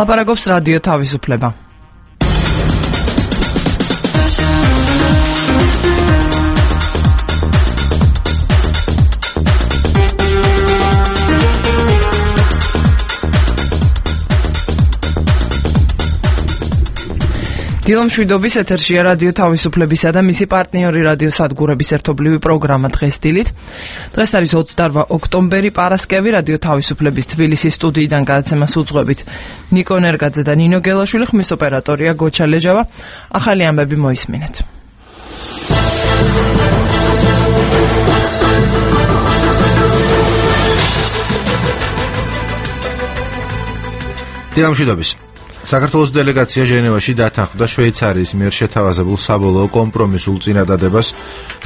ლაპარაკობს რადიო თავისუფლება. დილომშვიდობის ეთერშია რადიო თავისუფლებისა და მისი პარტნიორი რადიო სადგურების ერთობლივი პროგრამა დღეს დილით. დღეს არის 28 ოქტომბერი, პარასკევი. რადიო თავისუფლების თბილისის სტუდიიდან გადაცემას უძღვებით ნიკო ნერგაძე და ნინო გელაშვილი, ხმის ოპერატორია გოჩა ლეჯავა. ახალი ამბები მოისმინეთ. დილომშვიდობის. საქართველოს დელეგაცია ჟენევაში დათანხმდა შვეიცარიის მიერ შეთავაზებულ საბოლოო კომპრომისულ წინადადებას,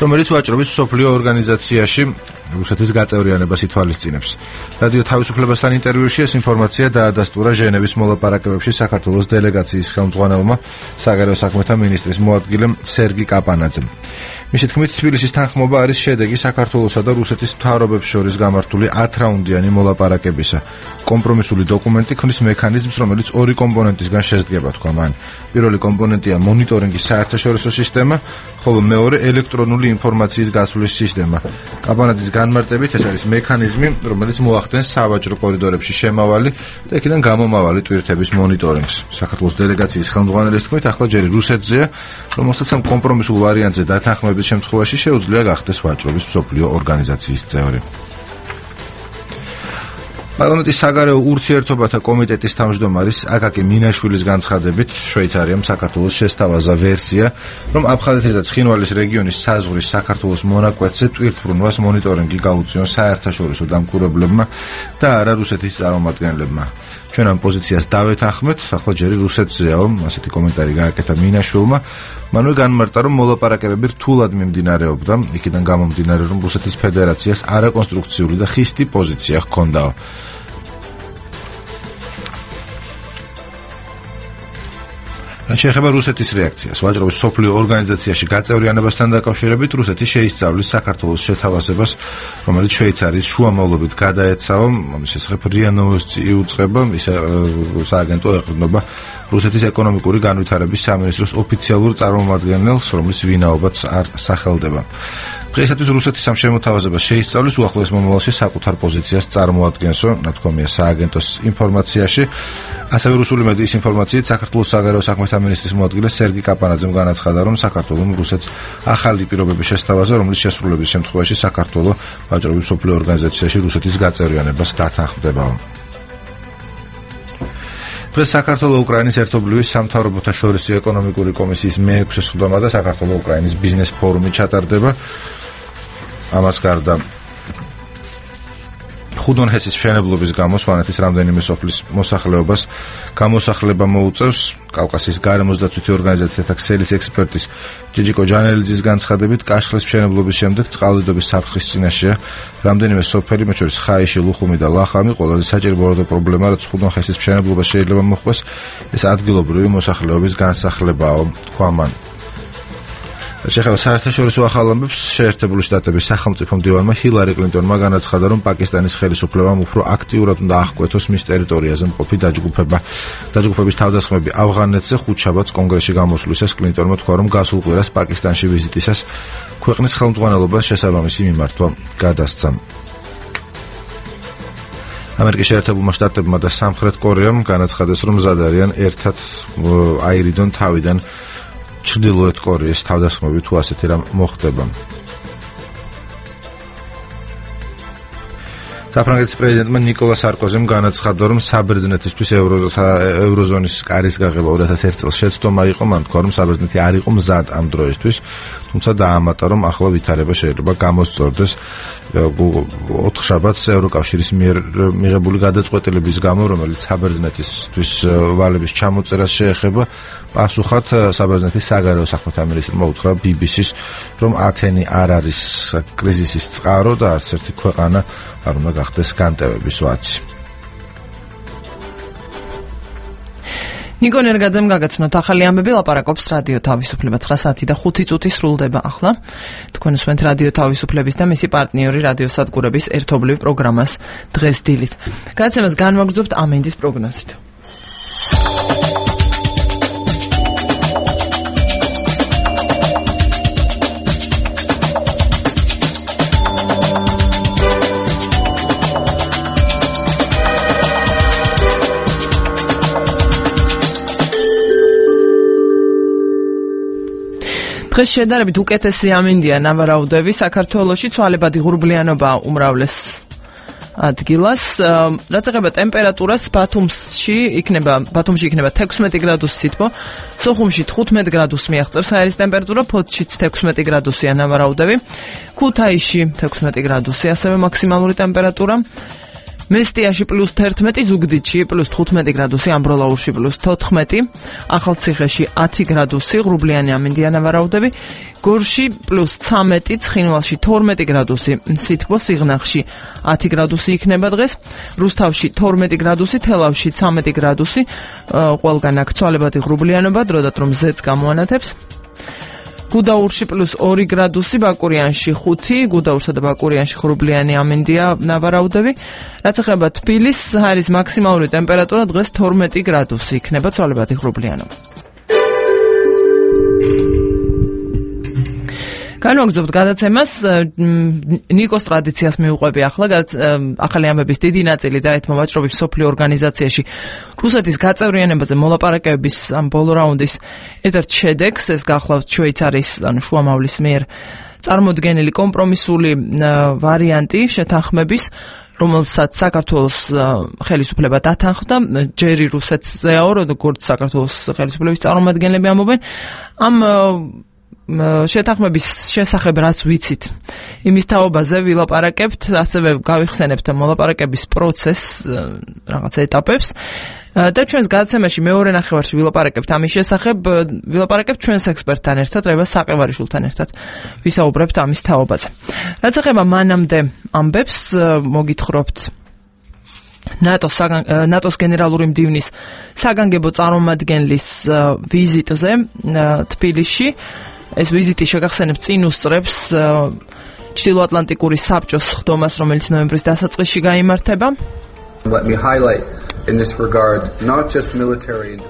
რომელიც ვაჭრობის მსოფლიო ორგანიზაციაში რუსეთის გაწევრიანებას ითვალისწინებს. რადიო თავისუფლებასთან ინტერვიუში ეს ინფორმაცია დაადასტურა ჟენევის მოლაპარაკებებში საქართველოს დელეგაციის ხელმძღვანელმა, საგარეო საქმეთა მინისტრის მოადგილემ სერგი კაპანაძემ. მისი თქმით, თბილისის თანხმობა არის შედეგი საქართველოსა და რუსეთის მთავრობებს შორის გამართული 10 რაუნდიანი მოლაპარაკებისა. კომპრომისული დოკუმენტი ქმნის მექანიზმს, რომელიც ორი კომპონენტისგან შედგება, თქვა მან. პირველი კომპონენტია მონიტორინგის საერთაშორისო სისტემა, ხოლო მეორე ელექტრონული ინფორმაციის გაცვლის სისტემა. კაპანაძის განმარტებით, ეს არის მექანიზმი, რომელიც მოახდენს სავაჭრო კორიდორებში შემავალი და იქიდან გამომავალი ტვირთების მონიტორინგს. საქართველოს დელეგაციის ხელმძღვანელის თქმით, ახლა ჯერ რუსეთზეა, რომელსაც ამ კომპრომისულ ვარიანტზე დათანხმების შემთხვევაში შეუძლია გახდეს ვაჭრობის მსოფლიო ორგანიზაციის წევრი. პარლამენტის საგარეო ურთიერთობათა კომიტეტის თავმჯდომარის აკაკი მინაშვილის განცხადებით, შვეიცარიამ საქართველოს შესთავაზა ვერსია, რომ აფხაზეთის და ცხინვალის რეგიონის საზღვრის საქართველოს მონაკვეთზე ტვირთბრუნვას მონიტორინგი გაუწიონ საერთაშორისო დამკვირვებლებმა და არა რუსეთის წარმომადგენლებმა. ჩვენ ამ პოზიციას დავეთანხმეთ, ახლა ჯერ რუსეთზეაო, ასეთი კომენტარი გააკეთა მინაშვილმა. მანვე განმარტა, რომ მოლაპარაკებები რთულად მიმდინარეობდა, იქიდან გამომდინარე, რომ რუსეთის ფედერაციას არაკონსტრუქციული და ხისტი პოზიცია ჰქონდაო. რაც შეეხება რუსეთის რეაქციას, ვაჭრობის მსოფლიო ორგანიზაციაში გაწევრიანებასთან დაკავშირებით, რუსეთი შეისწავლის საქართველოს შეთავაზებას, რომელიც შვეიცარიის შუამავლობით გადაეცავა, ამის შესახებ RIA Novosti იუწყება, ის სააგენტო ეყრდნობა რუსეთის ეკონომიკური განვითარების სამინისტროს ოფიციალურ წარმომადგენელს, რომლის ვინაობაც არ სახელდება. დღეისათვის რუსეთის ამ შემოთავაზებას შეისწავლის, უახლოეს მომავალში საკუთარ პოზიციას წარმოადგენსო, ნათქვამია სააგენტოს ინფორმაციაში. ასევე რუსული მედიის ინფორმაციით, საქართველოს საგარეო საქმეთა მინისტრის მოადგილე სერგი კაპანაძემ განაცხადა, რომ საქართველომ რუსეთს ახალი პირობები შესთავაზა, რომლის შესრულების შემთხვევაში საქართველო ვაჭრობის მსოფლიო ორგანიზაციაში რუსეთის გაწევრიანებას დათანხმდებაო. დღეს საქართველო-უკრაინის ერთობლივი სამთავრობოთა შორისი ეკონომიკური კომისიის მე-6 სხდომა და საქართველო-უკრაინის ბიზნეს ფორუმი ჩატარდება. ამას გარდა ხუდონჰესის მშენებლობის გამო სვანეთის რამდენიმე სოფლის მოსახლეობას გამოსახლება მოუწევს. კავკასიის გარემოს დაცვითი ორგანიზაციათა ქსელის ექსპერტის ჯიჯიკო ჯანელიძის განცხადებით, კაშხლის მშენებლობის შემდეგ წყალდიდობის საფრთხის წინაშეა რამდენიმე სოფელი, მათ შორის ხაიში, ლუხუმი და ლახამი. ყველაზე საჭიროა პრობლემა, რაც ხუდონჰესის მშენებლობას შეიძლება მოჰყვეს, ეს ადგილობრივი მოსახლეობის განსახლებაო, თქვა მან. შეეხება საერთაშორისო ახალ ამბებს, შეერთებული შტატების სახელმწიფო მდივანმა ჰილარი კლინტონმა განაცხადა, რომ პაკისტანის ხელისუფლებამ უფრო აქტიურად უნდა აღკვეთოს მის ტერიტორიაზე მყოფი დაჯგუფების თავდასხმები ავღანეთზე. ხუთშაბათს კონგრესში გამოსვლისას კლინტონმა თქვა, რომ გასულ კვირას პაკისტანში ვიზიტისას ქვეყნის ხელმძღვანელობას შესაბამისი მიმართვა გადასცა. ამერიკის შეერთებულმა შტატებმა და სამხრეთ კორეამ განაცხადეს, რომ მზად არიან ერთად აირიდონ თავიდან ჩრდილოეთ კორეის თავდასხმები თუ ასეთი რამ მოხდება. საფრანგეთის პრეზიდენტმა ნიკოლა სარკოზიმ განაცხადა, რომ საბერძნეთისთვის ევროზონის კარის გაღება 2001 წელს შეცდომა იყო. მან თქვა, რომ საბერძნეთი არ იყო მზად ამ დროისთვის, თუმცა დაამატა, რომ ახლა ვითარება შეიძლება გამოსწორდეს. 4 შაბათს ევროკავშირის მიერ მიღებული გადაწყვეტილების გამო, რომელიც საბერძნეთისთვის ვალების ჩამოწერას შეეხება, პასუხად საბერძნეთის საგარეო საქმეთა მინისტრმა უთხრა BBC-ს, რომ ათენი არ არის კრიზისის წყარო და არც ერთი ქვეყანა არ უნდა გახდეს განტევების ვაცი. ნიკო ნერგაძემ გაგაცნოთ ახალი ამბები, ლაპარაკობს რადიო თავისუფლება. 9:05 სრულდება ახლა. თქვენ უსმენთ რადიო თავისუფლების და მისი პარტნიორი რადიო სადგურების ერთობლივ პროგრამას დღეს დილით. გადაცემას განვაგრძობთ ამინდის პროგნოზით. დღეს შედარებით უკეთესი ამინდია ნავარაუდები საქართველოში, ცვალებადი ღრუბლიანობა უმრავლეს ადგილას. რაც ეხება ტემპერატურას, ბათუმში იქნება 16 გრადუსი სითბო, სოხუმში 15 გრადუსს მიაღწევს აერის ტემპერატურა, ფოთშიც 16 გრადუსია ნავარაუდები, ქუთაისში 16 გრადუსი ასევე მაქსიმალური ტემპერატურა. მესტიაში +11, ზუგდიდში +15 გრადუსი, ამბროლაურში +14, ახალციხეში 10 გრადუსი, ღრუბლიანი ამინდია ნავარაუდები, გორში +13, ცხინვალში 12 გრადუსი, სითბო, სიღნაღში 10 გრადუსი იქნება დღეს, რუსთავში 12 გრადუსი, თელავში 13 გრადუსი, ყველგან აქ ცვალებადი ღრუბლიანობა, დროდადრო რომ ზეც გამოანათებს. გუდაურში +2 გრადუსი, ბაკურიანში 5, გუდაურსა და ბაკურიანში ღრუბლიანი ამინდია ნავარაუდები. რაც ეხება თბილისს, არის მაქსიმალური ტემპერატურა დღეს 12 გრადუსი იქნება ცვალებადი ღრუბლიანობა. განვაგრძობთ გადაცემას, ნიკოს ტრადიციას მივუყვები ახლა, ახალი ამბების დიდი ნაწილი დაეთმო ვაჭრობის მსოფლიო ორგანიზაციაში რუსეთის გაწევრიანებაზე მოლაპარაკებების ამ ბოლო რაუნდის ერთ-ერთ შედეგს, ეს გახლავთ შვეიცარიის შუამავლის მიერ წარმოდგენილი კომპრომისული ვარიანტი შეთანხმების, რომელსაც საქართველოს ხელისუფლება დათანხმდა, ჯერი რუსეთზეაო, როგორც საქართველოს ხელისუფლების წარმომადგენლები ამბობენ, ამ შეთანხმების შესახებ რაც ვიცით, იმის თაობაზე ვილაპარაკებთ, ასევე გავიხსენებთ მოლაპარაკების პროცესს, რაღაც ეტაპებს და ჩვენს გადაცემაში მეორე ნახევარში ვილაპარაკებთ ამის შესახებ, ვილაპარაკებთ ჩვენს ექსპერტთან ერთად, რევას საყევარიშვილთან ერთად ვისაუბრებთ ამის თაობაზე. რაც ეხება მანამდე ამბებს, მოგითხრობთ ნატოს გენერალური მდივნის საგანგებო წარმომადგენლის ვიზიტზე თბილისში. ეს ვიზიტი შეგახსენებთ წინ უსწრებს ჩრდილოატლანტიკური საბჭოს ხდომას, რომელიც ნოემბრის დასაწყისში გაიმართება.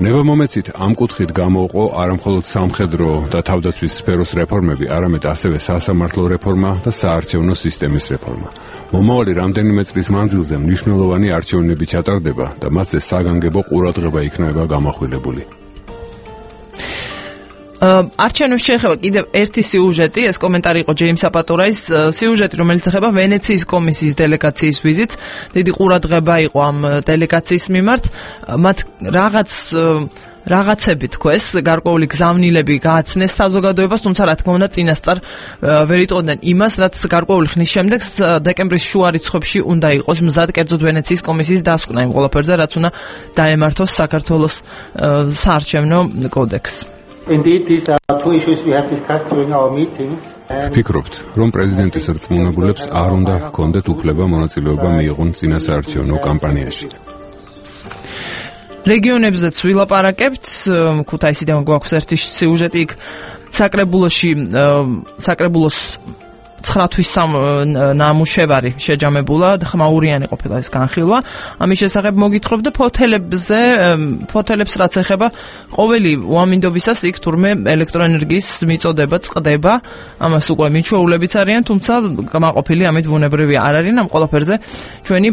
ნება მომეცით ამ კუთხით გამოვყო არამხოლოდ სამხედრო და თავდაცვის სფეროს რეფორმები, არამედ ასევე სასამართლო რეფორმა და საარჩევნო სისტემის რეფორმა. მომავალი რამდენიმე წლის მანძილზე მნიშვნელოვანი არჩევნები ჩატარდება და მათზე საგანგებო ყურადღება იქნება გამახვილებული. არჩევნებს შეეხება კიდევ ერთი სიუჟეტი, ეს კომენტარი იყო ჯეიმს აპატურაის სიუჟეტი, რომელიც ეხება ვენეციის კომისიის დელეგაციის ვიზიტს. დიდი ყურადღება იყო ამ დელეგაციის მიმართ, მათ რაღაცები თქოს, გარკვეული გზავნილები გააცნეს საზოგადოებას, თუმცა რა თქმა უნდა წინასწარ ვერ იტყოდნენ იმას, რაც გარკვეული ხნის შემდეგ დეკემბრის შუა რიცხვებში უნდა იყოს მზად, კერძოდ ვენეციის კომისიის დასკვნა იმ ყველაფერზე, რაც უნდა დაემართოს საქართველოს საარჩევნო კოდექსს. Indeed, these are two issues we have discussed during our meetings. ვფიქრობთ, რომ პრეზიდენტის რწმუნებულებს არ უნდა ჰქონდეთ უფლება მონაწილეობა მიიღონ წინასაარჩევნო კამპანიაში. რეგიონებზეც ვილაპარაკებთ, ქუთაისიდან გვაქვს ერთი სიუჟეტი იქ საკრებულოს 9 თვის ნამუშევარი შეჯამებულა, ხმაურიანი ყოფილა ეს განხილვა. ამის შესახებ მოგითხრობ და ფოთელებს რაც ეხება, ყოველი უამინდობისას იქ თურმე ელექტროენერგიის მიწოდება წყდება, ამას უკვე მიჩვეულებიც არიან, თუმცა გამოყოფილი ამით ბუნებრივი არ არიან, ამ ყველაფერზე ჩვენი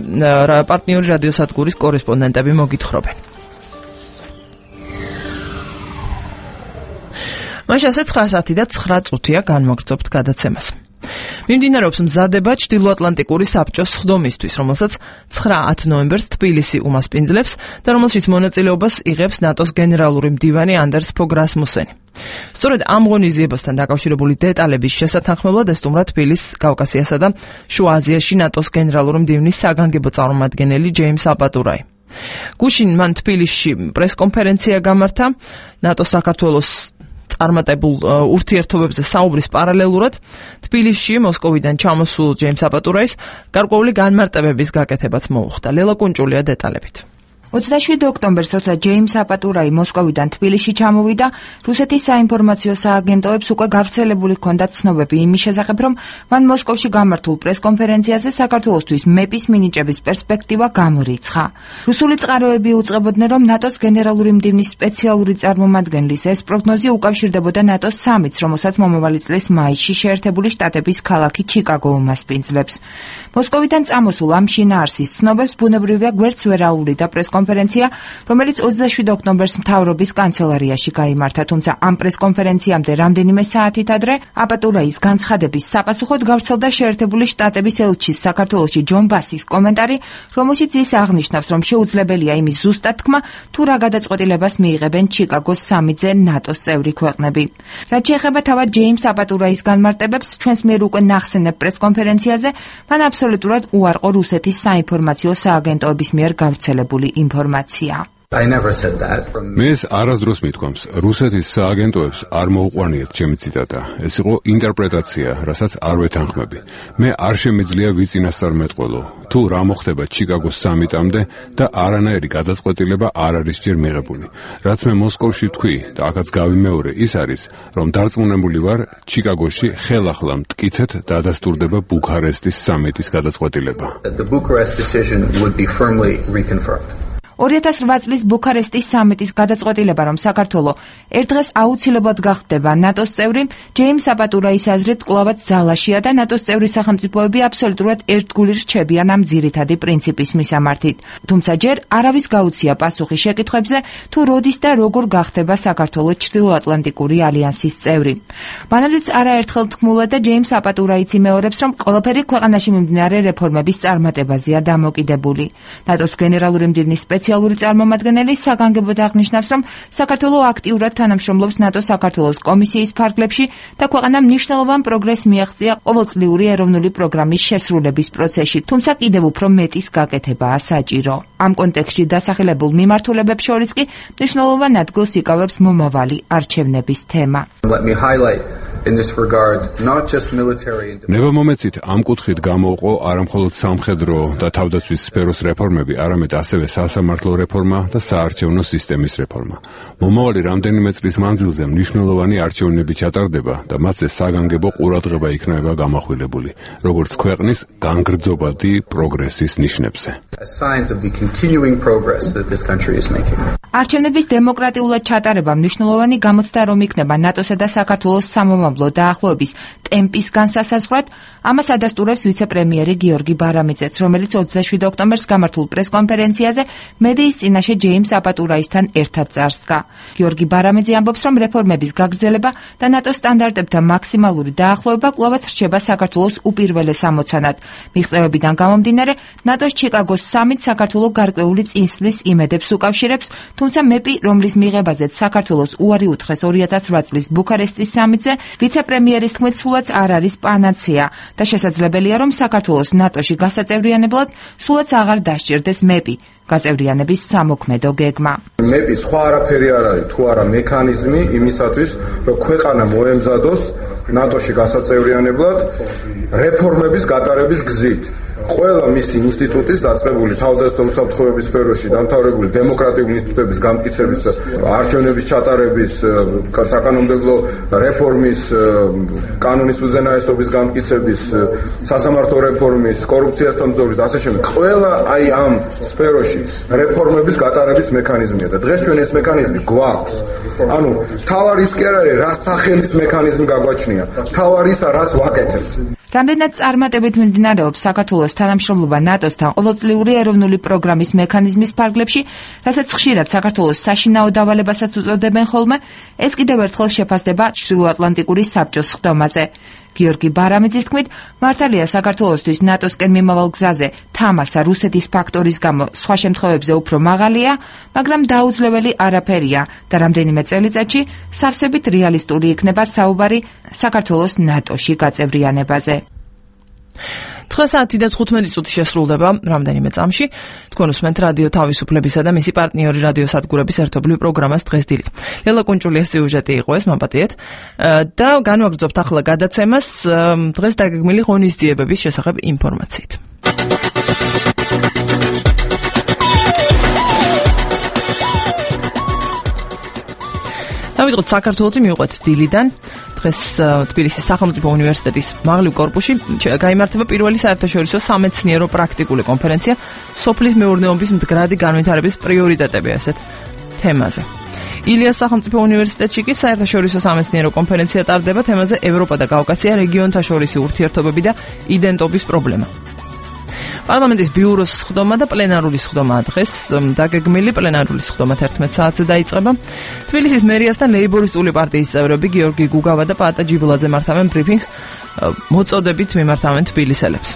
პარტნიორი რადიოსადგურის კორესპონდენტები მოგითხრობენ. მაშ ასე 9 საათი და 9 წუთია განმოგრძობთ გადაცემას. მიმდინარეობს მზადება ჩრდილოატლანტიკური საბჭოს ხდომისთვის, რომელსაც 9-10 ნოემბერს თბილისი უმასპინძლებს და რომელშიც მონაწილეობას იღებს ნატოს გენერალური მდივანი ანდერს ფოგ რასმუსენი. სწორედ ამ ღონისძიებასთან დაკავშირებული დეტალების შესათანხმებლად ესტუმრა თბილისს, კავკასიასა და შუა აზიაში ნატოს გენერალური მდივნის საგანგებო წარმომადგენელი ჯეიმს აპატურაი. გუშინ მან თბილისში პრესკონფერენცია გამართა ნატოს საქართველოს წარმატებულ ურთიერთობებზე საუბრის პარალელურად თბილისში მოსკოვიდან ჩამოსულ ჯეიმს აპატურაის გარკვეული განმარტებების გაკეთებაც მოუხდა. ლელა კუნჭულია დეტალებით. 27 ოქტომბერს, როცა ჯეიმს აპატურაი მოსკოვიდან თბილისში ჩამოვიდა, რუსეთის საინფორმაციო სააგენტოებს უკვე გავრცელებული ჰქონდათ ცნობები იმის შესახებ, რომ მან მოსკოვში გამართულ პრესკონფერენციაზე საქართველოსთვის მეპის მინიჭების პერსპექტივა გამორიცხა. რუსული წყაროები უწყებოდნენ, რომ ნატოს გენერალური მდივნის სპეციალური წარმომადგენლის ეს პროგნოზი უკავშირდებოდა ნატოს სამიტს, რომელსაც მომავალი წლის მაისში შეერთებული შტატების ქალაქი ჩიკაგო უმასპინძლებს. მოსკოვიდან წამოსულ ამ შინაარსის ცნობებს ბუნებრივია გვერდს ვერ აუვლიდა პრესკონფერენციაში პრესკონფერენცია, რომელიც 27 ოქტომბერს მთავრობის კანცელარიაში გაიმართა, თუმცა ამ პრესკონფერენციამდე რამდენიმე საათით ადრე აპატურაის განცხადების საპასუხოდ გავრცელდა შეერთებული შტატების ელჩის საქართველოში ჯონ ბასის კომენტარი, რომელშიც ის აღნიშნავს, რომ შეუძლებელია იმის ზუსტად თქმა, თუ რა გადაწყვეტილებას მიიღებენ ჩიკაგოს სამიტზე ნატოს წევრი ქვეყნები. რაც შეეხება თავად ჯეიმს აპატურაის განმარტებებს, ჩვენს მიერ უკვე ნახსენებ პრესკონფერენციაზე, მან აბსოლუტურად უარყო რუსეთის საინფორმაციო სააგენტოების მიერ გავრცელებული ინფორმაცია. მე ეს არასდროს მithქვამს, რუსეთის სააგენტოებს არ მოუყვანიათ ჩემი ციტატა. ეს იყო ინტერპრეტაცია, რასაც არ ვეთანხმები. მე არ შემიძლია ვიწინასწარმეტყველო, თუ რა მოხდება ჩიკაგოს სამიტამდე და არანაირი გადაწყვეტილება არ არის ჯერ მიღებული. რაც მე მოსკოვში ვთქვი და აქაც გავიმეორე, ის არის, რომ დარწმუნებული ვარ, ჩიკაგოში ხელახლა მტკიცედ დადასტურდება ბუქარესტის სამიტის გადაწყვეტილება. 2008 წლის ბუქარესტის სამიტის გადაწყვეტილება, რომ საქართველო ერთ დღეს აუცილებლად გახდება ნატოს წევრი, ჯეიმს აპატურაის აზრით კვლავაც ძალაშია და ნატოს წევრი სახელმწიფოები აბსოლუტურად ერთგული რჩებიან ამ ძირითადი პრინციპის მისამართით. თუმცა ჯერ არავის გაუცია პასუხი შეკითხვებზე, თუ როდის და როგორ გახდება საქართველო ჩრდილოატლანტიკური ალიანსის წევრი. მანამდეც არაერთხელ თქმულა და ჯეიმს აპატურაიც იმეორებს, რომ ყველაფერი ქვეყანაში მიმდინარე რეფორმების წარმატებაზეა დამოკიდებული. ნატოს გენერალური მდივნის სპეციალური წარმომადგენელი საგანგებოდ აღნიშნავს, რომ საქართველო აქტიურად თანამშრომლობს ნატო-საქართველოს კომისიის ფარგლებში და ქვეყანამ მნიშვნელოვან პროგრესს მიაღწია ყოველწლიური ეროვნული პროგრამის შესრულების პროცესში, თუმცა კიდევ უფრო მეტის გაკეთებაა საჭირო. ამ კონტექსტში დასახელებულ მიმართულებებს შორის კი მნიშვნელოვან ადგილს იკავებს მომავალი არჩევნების თემა. ნება მომეცით ამ კუთხით გამოვყო არამხოლოდ სამხედრო და თავდაცვის სფეროს რეფორმები, არამედ ასევე სასამართლო რეფორმა და საარჩევნო სისტემის რეფორმა. მომავალი რამდენიმე წლის მანძილზე მნიშვნელოვანი არჩევნები ჩატარდება და მათზე საგანგებო ყურადღება იქნება გამახვილებული, როგორც ქვეყნის განგრძობადი პროგრესის ნიშნებზე. არჩევნების დემოკრატიულად ჩატარება მნიშვნელოვანი გამოცდა რომ იქნება ნატოსა და საქართველოს სამომავლო დაახლოების ტემპის განსასაზღვრად, ამას ადასტურებს ვიცე-პრემიერი გიორგი ბარამიძეც, რომელიც 27 ოქტომბერს გამართულ პრესკონფერენციაზე მედიის წინაშე ჯეიმს აპატურაისთან ერთად წარსდგა. გიორგი ბარამიძე ამბობს, რომ რეფორმების გაგრძელება და ნატოს სტანდარტებთან მაქსიმალური დაახლოება კვლავაც რჩება საქართველოს უპირველეს ამოცანად. მიღწევებიდან გამომდინარე, ნატოს ჩიკაგოს სამიტს საქართველო გარკვეული წინსვლის იმედებს უკავშირებს, თუმცა მეპი, რომლის მიღებაზეც საქართველოს უარი უთხრეს 2008 წლის ბუქარესტის სამიტზე, ვიცე-პრემიერის თქმით, სულაც არ არის პანაცეა და შესაძლებელია, რომ საქართველოს ნატოში გასაწევრიანებლად სულაც აღარ დასჭირდეს მეპი. გაწევრიანების სამოქმედო გეგმა. მეპი სხვა არაფერი არ არის, თუ არა მექანიზმი იმისათვის, რომ ქვეყანა მოემზადოს ნატოში გასაწევრიანებლად რეფორმების გატარების გზით. ყველა მისი ინსტიტუტის დაწყებული თავდაცვითი უსაფრთხოების სფეროში დამთავრებული დემოკრატიული ინსტიტუტების გამტკიცების და არჩევნების ჩატარების, საკანონმდებლო რეფორმის, კანონის უზენაესობის გამტკიცების, სასამართლო რეფორმის, კორუფციასთან ბრძოლის და ასე შემდეგ. ყველა აი ამ სფეროში რეფორმების გატარების მექანიზმია და დღეს ჩვენ ეს მექანიზმი გვაქვს. ანუ თავარი ის კი არ არის, რა სახელის მექანიზმი გაგვაჩნია, თავარი ისა რას ვაკეთებთ. რამდენად წარმატებით მიმდინარეობს საქართველოს თანამშრომლობა ნატოსთან ყოველწლიური ეროვნული პროგრამის მექანიზმის ფარგლებში, რასაც ხშირად საქართველოს საშინაო დავალებასაც უწოდებენ ხოლმე, ეს კიდევ ერთხელ შეფასდება ჩრდილოატლანტიკური საბჭოს ხდომაზე. გიორგი ბარამიძის თქმით, მართალია საქართველოსთვის ნატოსკენ მიმავალ გზაზე თამასა რუსეთის ფაქტორის გამო სხვა შემთხვევებზე უფრო მაღალია, მაგრამ დაუძლეველი არაფერია და რამდენიმე წელიწადში სავსებით რეალისტური იქნება საუბარი საქართველოს ნატოში გაწევრიანებაზე. 9 საათი და 15 წუთი შესრულდება რამდენიმე წამში. თქვენ უსმენთ რადიო თავისუფლებისა და მისი პარტნიორი რადიო სადგურების ერთობლივ პროგრამას დღეს დილით. ლელა კუნჭულიას სიუჟეტი იყო ეს, მაპატიეთ. და განვაგრძობთ ახლა გადაცემას დღეს დაგეგმილი ღონისძიებების შესახებ ინფორმაციით. დავიწყოთ საქართველოს მივყვეთ დილიდან. დღეს თბილისის სახელმწიფო უნივერსიტეტის მაღლივ კორპუსში გაიმართება პირველი საერთაშორისო სამეცნიერო პრაქტიკული კონფერენცია სოფლის მეურნეობის მდგრადი განვითარების პრიორიტეტები ასეთ თემაზე. ილიას სახელმწიფო უნივერსიტეტში კი საერთაშორისო სამეცნიერო კონფერენცია ტარდება თემაზე ევროპა და კავკასია რეგიონთა შორისი ურთიერთობები და იდენტობის პრობლემა. პარლამენტის ბიუროს სხდომა და პლენარული სხდომა დღეს დაგეგმილი. პლენარული სხდომა 11 საათზე დაიწყება. თბილისის მერიასთან ლეიბორისტული პარტიის წევრები გიორგი გუგავა და პატა ჯიბლაძე მართავენ ბრიფინგს, მოწოდებით მიმართავენ თბილისელებს.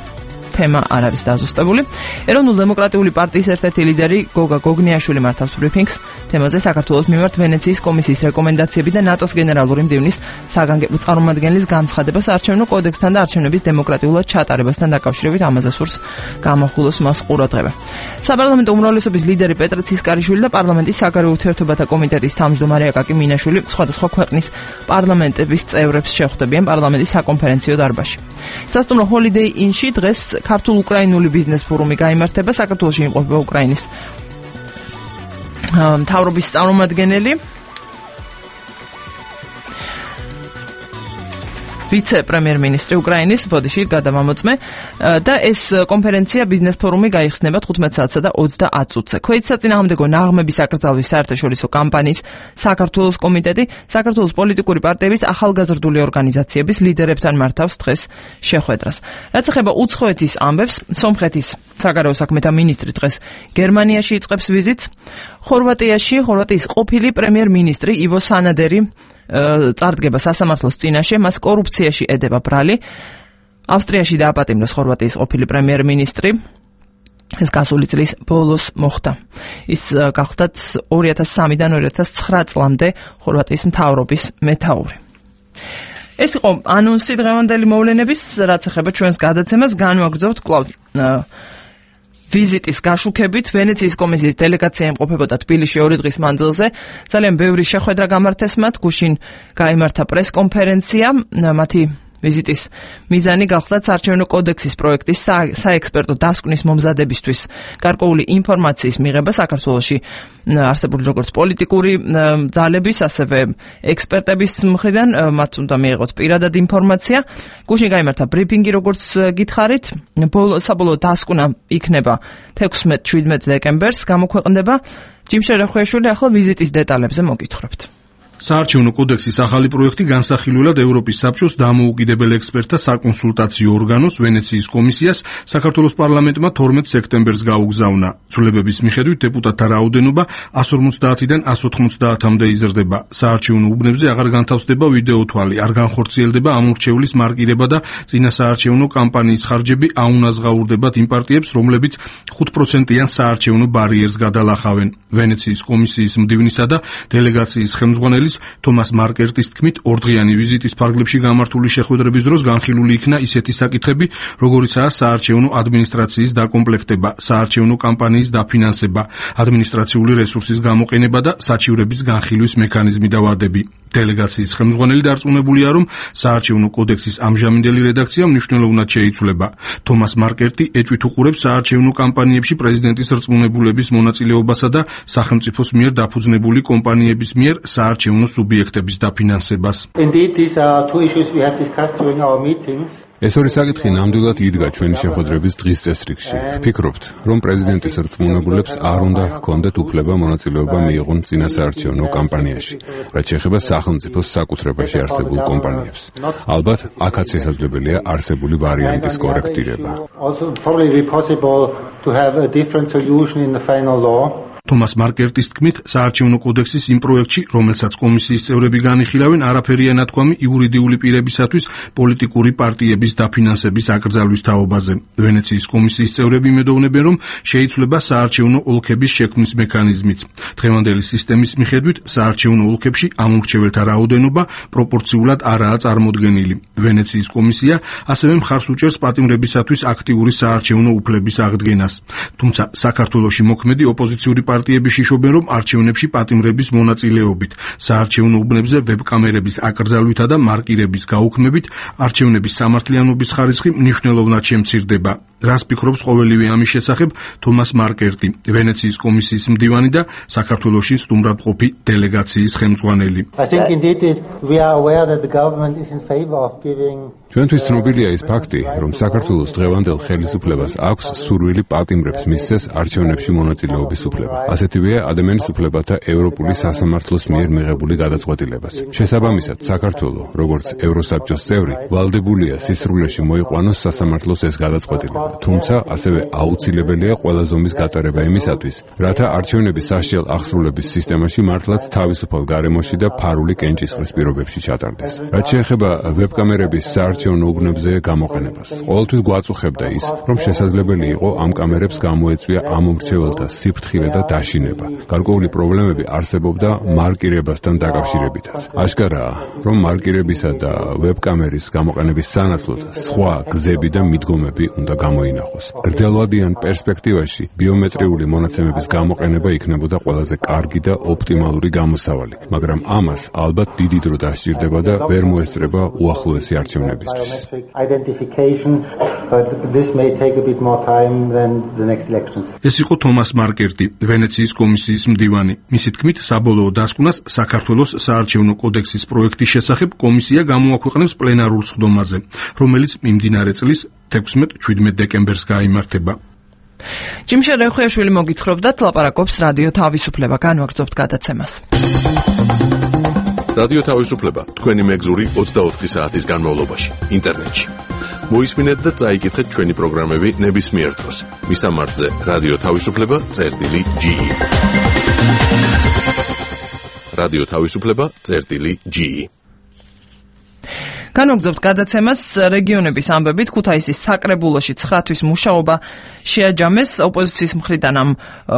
თემა არ არის დაზუსტებული. ეროვნულ-დემოკრატიული პარტიის ერთ-ერთი ლიდერი გოგა გოგნიაშვილი მართავს ბრიფინგს თემაზე საქართველოს მიმართ ვენეციის კომისიის რეკომენდაციები და ნატოს გენერალური მდივნის საგანგებო წარმომადგენლის განცხადება საარჩევნო კოდექსთან და არჩევნების დემოკრატიულად ჩატარებასთან დაკავშირებით ამაზე სურს გამახვილოს მას ყურადღება. საპარლამენტო უმრავლესობის ლიდერი პეტრე ცისკარიშვილი და პარლამენტის საგარეო ურთიერთობათა კომიტეტის თავმჯდომარე აკაკი მინაშვილი სხვადასხვა ქვეყნის პარლამენტების წევრებს შეხვდებიან პარლამენტის საკონფერენციო დარბაზში. სასტუმრო ჰოლიდეი ინში დღეს ქართულ-უკრაინული ბიზნეს ფორუმი გაიმართება. საქართველოში იმყოფება უკრაინის მთავრობის წარმომადგენელი ვიცე-პრემიერ-მინისტრი უკრაინის ბოდიში გადამამოწმე და ეს კონფერენცია ბიზნეს ფორუმი გაიხსნება 15 საათსა და 30 წუთზე. ქვეითსაწინააღმდეგო ნაღმების აკრძალვის საერთაშორისო კამპანიის საქართველოს კომიტეტი საქართველოს პოლიტიკური პარტიების ახალგაზრდული ორგანიზაციების ლიდერებთან მართავს დღეს შეხვედრას. რაც ეხება უცხოეთის ამბებს, სომხეთის საგარეო საქმეთა მინისტრი დღეს გერმანიაში იწყებს ვიზიტს. ხორვატიის ყოფილი პრემიერ-მინისტრი ივო სანადერი წარდგება სასამართლოს წინაშე, მას კორუფციაში ედება ბრალი. ავსტრიაში დააპატიმრეს ხორვატიის ყოფილი პრემიერ-მინისტრი. ეს გასული წლის ბოლოს მოხდა. ის გახლდათ 2003-დან 2009 წლამდე ხორვატიის მთავრობის მეთაური. ეს იყო ანონსი დღევანდელი მოვლენების, რაც ეხება ჩვენს გადაცემას. განვაგრძობთ კვლავ ვიზიტის გაშუქებით. ვენეციის კომისიის დელეგაცია იმყოფებოდა თბილისში 2 დღის მანძილზე. ძალიან ბევრი შეხვედრა გამართეს მათ. გუშინ გაიმართა პრესკონფერენცია. მათი ვიზიტის მიზანი გახლდათ საარჩევნო კოდექსის პროექტის საექსპერტო დასკვნის მომზადებისთვის გარკვეული ინფორმაციის მიღება საქართველოში არსებული როგორც პოლიტიკური ძალების, ასევე ექსპერტების მხრიდან. მათ უნდა მიიღოთ პირადად ინფორმაცია. გუშინ გაიმართა ბრიფინგი, როგორც გითხარით. საბოლოო დასკვნა იქნება 16-17 დეკემბერს გამოქვეყნდება. ჯიმშე რახვეშვილი ახლა ვიზიტის დეტალებზე მოგითხრობთ. საარჩევნო კოდექსის ახალი პროექტი განსახილველად ევროპის საბჭოს დამოუკიდებელ ექსპერტთა საკონსულტაციო ორგანოს ვენეციის კომისიას საქართველოს პარლამენტმა 12 სექტემბერს გაუგზავნა. ცვლილებების მიხედვით დეპუტატთა რაოდენობა 150-დან 190-მდე იზრდება. საარჩევნო უბნებზე აღარ განთავსდება ვიდეო თვალი, არ განხორციელდება ამურჩევლის მარკირება და წინასაარჩევნო კამპანიის ხარჯები აუნაზღაურდებათ იმ პარტიებს, რომლებიც 5%-იან საარჩევნო ბარიერს გადალახავენ. ვენეციის კომისიის მდივნისა და დელეგაციის ხელმძღვანელი თომას მარკერტის თქმით, ორდღიანი ვიზიტის ფარგლებში გამართული შეხვედრების დროს განხილული იქნა ისეთი საკითხები, როგორიცაა საარჩევნო ადმინისტრაციის დაკომპლექტება, საარჩევნო კამპანიის დაფინანსება, ადმინისტრაციული რესურსის გამოყენება და საჩივრების განხილვის მექანიზმი და ვადები. დელეგაციის ხელმძღვანელი დარწმუნებულია, რომ საარჩევნო კოდექსის ამჟამინდელი რედაქცია მნიშვნელოვნად შეიცვლება. თომას მარკერტი ეჭვით უყურებს საარჩევნო კამპანიებში პრეზიდენტის რწმუნებულების მონაწილეობასა და სახელმწიფოს მიერ დაფუძნებული კომპანიების მიერ საარჩევნო სუბიექტების დაფინანსებას. ეს ორი საკითხი ნამდვილად იდგა ჩვენი შეხვედრების დღის წესრიგში. ვფიქრობთ, რომ პრეზიდენტის რწმუნებულებს არ უნდა ჰქონდეთ უფლება მონაწილეობა მიიღონ წინასაარჩევნო კამპანიაში, რაც შეეხება სახელმწიფოს საკუთრებაში არსებულ კომპანიებს. ალბათ, აქაც შესაძლებელია არსებული ვარიანტის კორექტირება. თომას მარკერტის თქმით, საარჩევნო კოდექსის იმ პროექტში, რომელსაც კომისიის წევრები განიხილავენ, არაფერია ნათქვამი იურიდიული პირებისათვის პოლიტიკური პარტიების დაფინანსების აკრძალვის თაობაზე. ვენეციის კომისიის წევრები იმედოვნებენ, რომ შეიცვლება საარჩევნო ოლქების შექმნის მექანიზმიც. დღევანდელი სისტემის მიხედვით, საარჩევნო ოლქებში ამურჩეველთა რაოდენობა პროპორციულად არაა წარმოდგენილი. ვენეციის კომისია ასევე მხარს უჭერს პატიმრებისათვის აქტიური საარჩევნო უფლების აღდგენას. თუმცა საქართველოში მოქმედი ოპოზიციური პარტიები შიშობენ, რომ არჩევნებში პატიმრების მონაწილეობით, საარჩევნო უბნებზე ვებკამერების აკრძალვითა და მარკირების გაუქმებით არჩევნების სამართლიანობის ხარისხი მნიშვნელოვნად შემცირდება. რას ფიქრობს ყოველივე ამის შესახებ თომას მარკერტი, ვენეციის კომისიის მდივანი და საქართველოში სტუმრადყოფი დელეგაციის ხელმძღვანელი. ჩვენთვის ცნობილია ის ფაქტი, რომ საქართველოს დღევანდელ ხელისუფლებას აქვს სურვილი პატიმრებს მისცეს არჩევნებში მონაწილეობის უფლება. ასეთივეა ადამიანის უფლებათა ევროპული სასამართლოს მიერ მიღებული გადაწყვეტილებაც. შესაბამისად, საქართველო, როგორც ევროსაბჭოს წევრი, ვალდებულია სისრულეში მოიყვანოს სასამართლოს ეს გადაწყვეტილება. თუმცა ასევე აუცილებელია ყველა ზომის გატარება იმისათვის, რათა არჩევნების სასჯელ აღსრულების სისტემაში მართლაც თავისუფალ გარემოში და ფარული კენჭისყრის პირობებში ჩატარდეს. რაც შეეხება ვებკამერების საარჩევნო უბნებზე გამოყენებას, ყოველთვის გვაწუხებდა ის, რომ შესაძლებელი იყო ამ კამერებს გამოეწვია ამ მრჩეველთა სიფრთხილე და დაშინება. გარკვეული პრობლემები არსებობდა მარკირებასთან დაკავშირებითაც. აშკარაა, რომ მარკირებისა და ვებკამერის გამოყენების სანაცვლოდ სხვა გზები და მიდგომები უნდა გამოინახოს. გრძელვადიან პერსპექტივაში ბიომეტრიული მონაცემების გამოყენება იქნებოდა ყველაზე კარგი და ოპტიმალური გამოსავალი, მაგრამ ამას ალბათ დიდი დრო დასჭირდება და ვერ მოესწრება უახლოესი არჩევნებისთვის. ეს იყო თომას მარკერტი, ვენეციის კომისიის მდივანი. მისი თქმით, საბოლოო დასკვნას საქართველოს საარჩევნო კოდექსის პროექტის შესახებ კომისია გამოაქვეყნებს პლენარულ სხდომაზე, რომელიც მიმდინარე წლის 16-17 დეკემბერს გაიმართება. ჯიმშა რეხუიაშვილი მოგითხრობდათ, ლაპარაკობს რადიო თავისუფლება, განვაგრძობთ გადაცემას. რადიო თავისუფლება თქვენი მეგზური 24 საათის განმავლობაში ინტერნეტში. მოისმინეთ და წაიკითხეთ ჩვენი პროგრამები ნებისმიერ დროს. მისამართზე რადიო თავისუფლება.ge. რადიო თავისუფლება.ge. განვაგრძობთ გადაცემას რეგიონების ამბებით. ქუთაისის საკრებულოში 9 თვის მუშაობა შეაჯამეს. ოპოზიციის მხრიდან ამ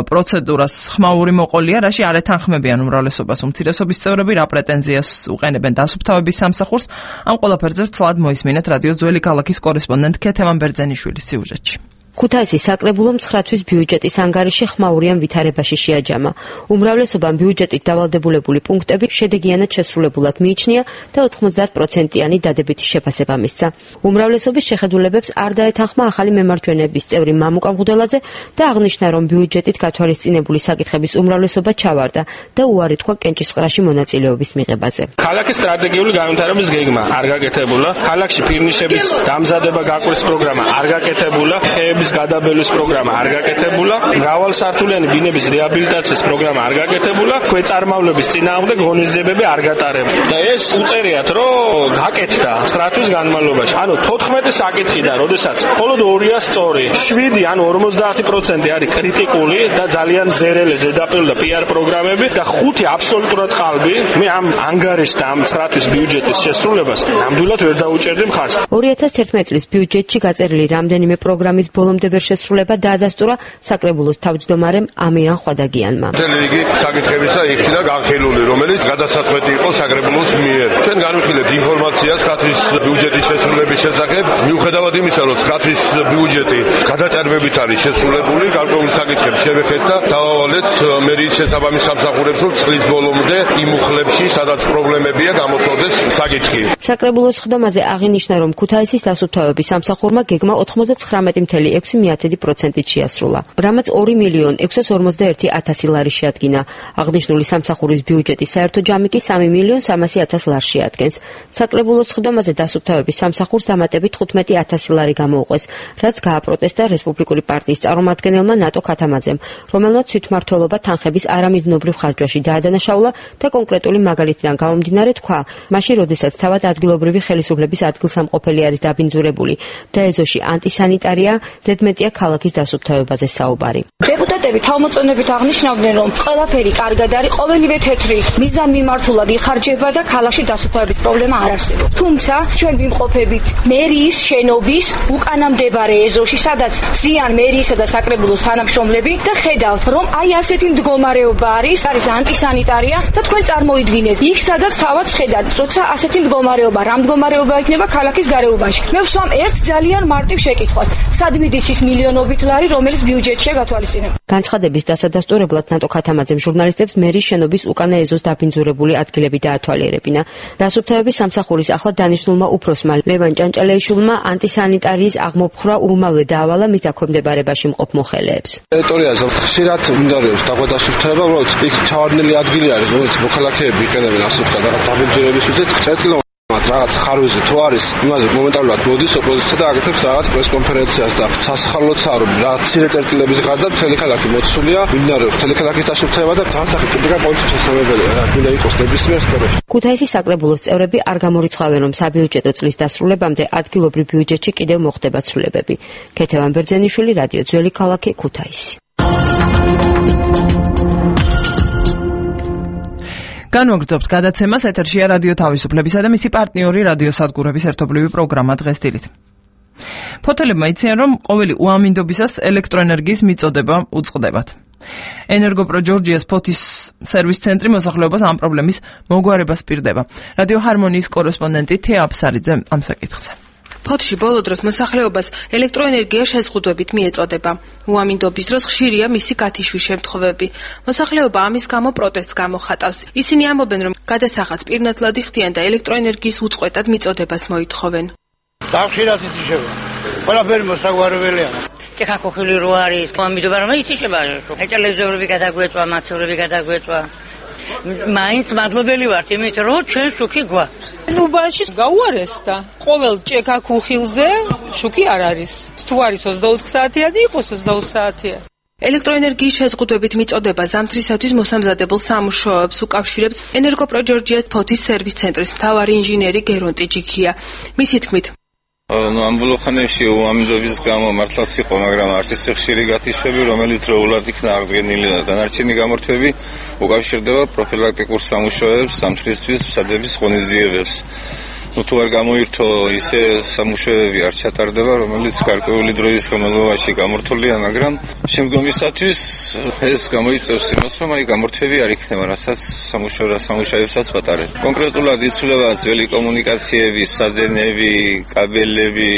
პროცედურას ხმაური მოყოლია, რაში არ ეთანხმებიან უმრავლესობას უმცირესობის წევრები, რა პრეტენზიას უყენებენ დასუფთავების სამსახურს. ამ ყველაფერზე ცალად მოისმინეთ რადიო ძველი ქალაქის კორესპონდენტ ქეთემან ბერძენიშვილის სიუჟეტში. ქუთაისის საკრებულომ 9 თვის ბიუჯეტის ანგარიში ხმაურიან ვითარებაში შეაჯამა. უმრავლესობამ ბიუჯეტით დავალდებულებული პუნქტები შედეგიანად შესრულებულად მიიჩნია და 90%-იანი დადებითი შეფასება მისცა. უმრავლესობის შეხედულებებს არ დაეთანხმა ახალი მემარჯვენეების წევრი მამუკა მღუდელაძე და აღნიშნა, რომ ბიუჯეტით გათვალისწინებული საკითხების უმრავლესობა ჩავარდა და უარი თქვა კენჭისყრაში მონაწილეობის მიღებაზე. ქალაქის სტრატეგიული განვითარების გეგმა არ გაკეთებულა, ქალაქში ფირნიშების დამზადება გაკვრის პროგრამა არ გაკეთებულა, გადაბელვის პროგრამა არ გაკეთებულა, მრავალსართულიანი ბინების რეაბილიტაციის პროგრამა არ გაკეთებულა, ქვეწარმავლების წინააღმდეგ ღონისძიებები არ გატარებულა. და ეს უწერიათ, რომ გაკეთდა 9 თვის განმავლობაში. ანუ 14 საკითხიდან, როდესაც მხოლოდ 2-ია სწორი, 7 ანუ 50% არის კრიტიკული და ძალიან ზერელე ზედაპირული და PR პროგრამები და 5 აბსოლუტურად ყალბი. მე ამ ანგარიშს და ამ 9 თვის ბიუჯეტის შესრულებას ნამდვილად ვერ დაუჭერდი მხარს. 2011 წლის ბიუჯეტში გაწერილი რამდენიმე პროგრამის ბოლომდე ვერ შესრულება დაადასტურა საკრებულოს თავმჯდომარემ ამირან ხვადაგიანმა. მთელი რიგი საკითხებისა იქნა განხილული, რომელიც გადასაწყვეტი იყო საკრებულოს მიერ. ჩვენ განვიხილეთ ინფორმაციას 9 თვის ბიუჯეტის შესრულების შესახებ, მიუხედავად იმისა, რომ 9 თვის ბიუჯეტი გადაჭარბებით არის შესრულებული, გარკვეული საკითხები შევეხეთ და დავავალეთ მერიის შესაბამის სამსახურებს, რომ წლის ბოლომდე იმ უხლებში, სადაც პრობლემებია, გამოწვდეს საკითხი. საკრებულოს სხდომაზე აღინიშნა, რომ ქუთაისის დასუფთავების სამსახურმა გეგმა 99.6% შეასრულა, რამაც 2.641.000 ლარი შეადგინა. აღნიშნული სამსახურის ბიუჯეტის საერთო ჯამი კი 3.300.000 ლარს შეადგენს. საკრებულოს სხდომაზე დასუფთავების სამსახურს დამატებით 15.000 ლარი გამოუყვეს, რაც გააპროტესტა რესპუბლიკური პარტიის წარმომადგენელმა ნატო ქათამაძემ, რომელმაც თვითმმართველობა თანხების არამიზნობრივ ხარჯვაში დაადანაშაულა და კონკრეტული მაგალითიდან გამომდინარე თქვა, მაშინ როდესაც თავად ადგილობრივი ხელისუფლების ადგილსამყოფელი არის დაბინძურებული და ეზოში ანტისანიტარია, ზედმეტია ქალაქის დასუფთავებაზე საუბარი. დეპუტატები თავმოწონებით აღნიშნავდნენ, რომ ყველაფერი კარგად არის, ყოველივე თეთრი მიზანმიმართულად იხარჯება და ქალაქში დასუფთავების პრობლემა არ არსებობს. თუმცა ჩვენ ვიმყოფებით მერიის შენობის უკანა მდებარე ეზოში, სადაც ზიან მერიისა და საკრებულოს თანამშრომლები და ხედავთ, რომ აი ასეთი მდგომარეობა არის ანტისანიტარია და თქვენ წარმოიდგინეთ, იქ სადაც თავად ხედავთ, როცა ასეთი მდგომარეობა, რა მდგომარეობა იქნება ქალაქის გარეუბანში. მე ვსვამ ერთ ძალიან მარტივ შეკითხვას. სად მიდის ის მილიონობით ლარი, რომელიც ბიუჯეტშია გათვალისწინებული? განცხადების დასადასტურებლად ნატო ქათამაძემ ჟურნალისტებს მერიის შენობის უკანა ეზოს დაბინძურებული ადგილები დაათვალიერებინა. დასუფთავების სამსახურის ახლად დანიშნულმა უფროსმა ლევან ჭანჭალეიშვილმა ანტისანიტარიის აღმოფხვრა უმალვე დაავალა მის დაქვემდებარებაში მყოფ მოხელეებს. ტერიტორიაზე ხშირად მიმდინარეობს დასუფთავება, უბრალოდ იქ ჩავარდნილი ადგილი არის, რომელიც მოქალაქეები იყენებენ ასეთ დაბინძურების მიზნით. მათ რაღაც ხარვეზე თუ არის, იმაზე მომენტალურად მოდის ოპოზიცია და აკეთებს რაღაც პრესკონფერენციას და სასახალოც არ რა ცირე წერტილების გარდა მთელი ქალაქი მოცულია, მიმდინარეობს მთელი ქალაქის დაშიფრება და თავსახე კრიტიკა პოლიტიკოს შესაძლებელია რა გინდა იყოს ნებისმიერ სფეროში. ქუთაისის საკრებულოს წევრები არ გამორიცხავენ, რომ საბიუჯეტო წლის დასრულებამდე ადგილობრივ ბიუჯეტში კიდევ მოხდება ცვლილებები. ქეთევან ბერძენიშვილი, რადიო ძველი ქალაქი, ქუთაისი. განვაგრძობთ გადაცემას, ეთერშია რადიო თავისუფლებისა და მისი პარტნიორი რადიო სადგურების ერთობლივი პროგრამა დღეს დილით. ფოთელებმა იციან, რომ ყოველი უამინდობისას ელექტროენერგიის მიწოდება უწყდებათ. ენერგოპრო ჯორჯიას ფოთის სერვის ცენტრი მოსახლეობას ამ პრობლემის მოგვარებას პირდება. რადიო ჰარმონიის კორესპონდენტი თეა აფსარიძე ამ საკითხზე. ფოთში ბოლო დროს მოსახლეობას ელექტროენერგია შეზღუდვებით მიეწოდება. უამინდობის დროს ხშირია მისი გათიშვის შემთხვევები. მოსახლეობა ამის გამო პროტესტს გამოხატავს. ისინი ამბობენ, რომ გადასახადს პირნათლად იხდიან და ელექტროენერგიის უწყვეტად მიწოდებას მოითხოვენ. ხშირად ითიშება. ყველაფერი მოსაგვარებელია. ჭექაქოხილი რო არის, ამიტომ რომ ითიშება. ტელევიზორები გადაგვეწვა, მაცხოვრები გადაგვეწვა. მაინც მადლობელი ვართ, იმიტომ რომ ჩვენ შუქი გვაქვს. ნუბაში გაუარეს და ყოველ ჭექაქოხილზე შუქი არ არის. თუ არის 24 საათია და იყოს 24 საათია. ელექტროენერგიის შეზღუდვებით მიწოდება ზამთრისათვის მოსამზადებელ სამუშაოებს უკავშირებს ენერგოპრო ჯორჯიას ფოთის სერვის ცენტრის მთავარი ინჟინერი გერონტი ჯიქია. მისი თქმით, ამ ბოლო ხანებში უამინდობის გამო მართლაც იყო, მაგრამ არც ისე ხშირი გათიშვები, რომელიც როულად იქნა აღდგენილი და დანარჩენი გამორთვები უკავშირდება პროფილაქტიკურ სამუშაოებს, ზამთრისთვის მსადების ღონისძიებებს. თუ არ გამოირთო ისე სამუშაოები არ ჩატარდება, რომელიც გარკვეული დროის განმავლობაში გამორთულია, მაგრამ შემდგომისათვის ეს გამოიწვევს იმას, რომ გამორთვები არ იქნება, რასაც სამუშაოებსაც ვატარებ. კონკრეტულად იცვლება ძველი კომუნიკაციები, სადენები, კაბელები.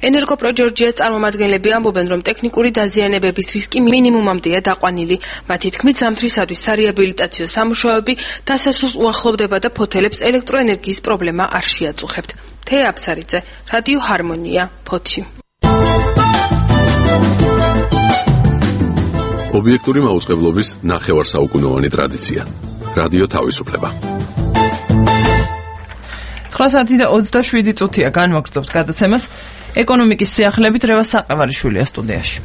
ენერგოპრო ჯორჯიას წარმომადგენლები ამბობენ, რომ ტექნიკური დაზიანებების რისკი მინიმუმამდეა დაყვანილი. მათი თქმით, ზამთრისათვის სარეაბილიტაციო სამუშაოები დასასრულს უახლოვდება და ფოთელებს ელექტროენერგიის პრობლემა არ შეაწუხებთ. თეა აფსარიძე, რადიო ჰარმონია, ფოთი. ობიექტური მაუწყებლობის ნახევარსაუკუნოვანი ტრადიცია. რადიო თავისუფლება. 9:27 განვაგრძობთ გადაცემას. ეკონომიკის სიახლებით რევას საყევარიშვილია სტუდიაში.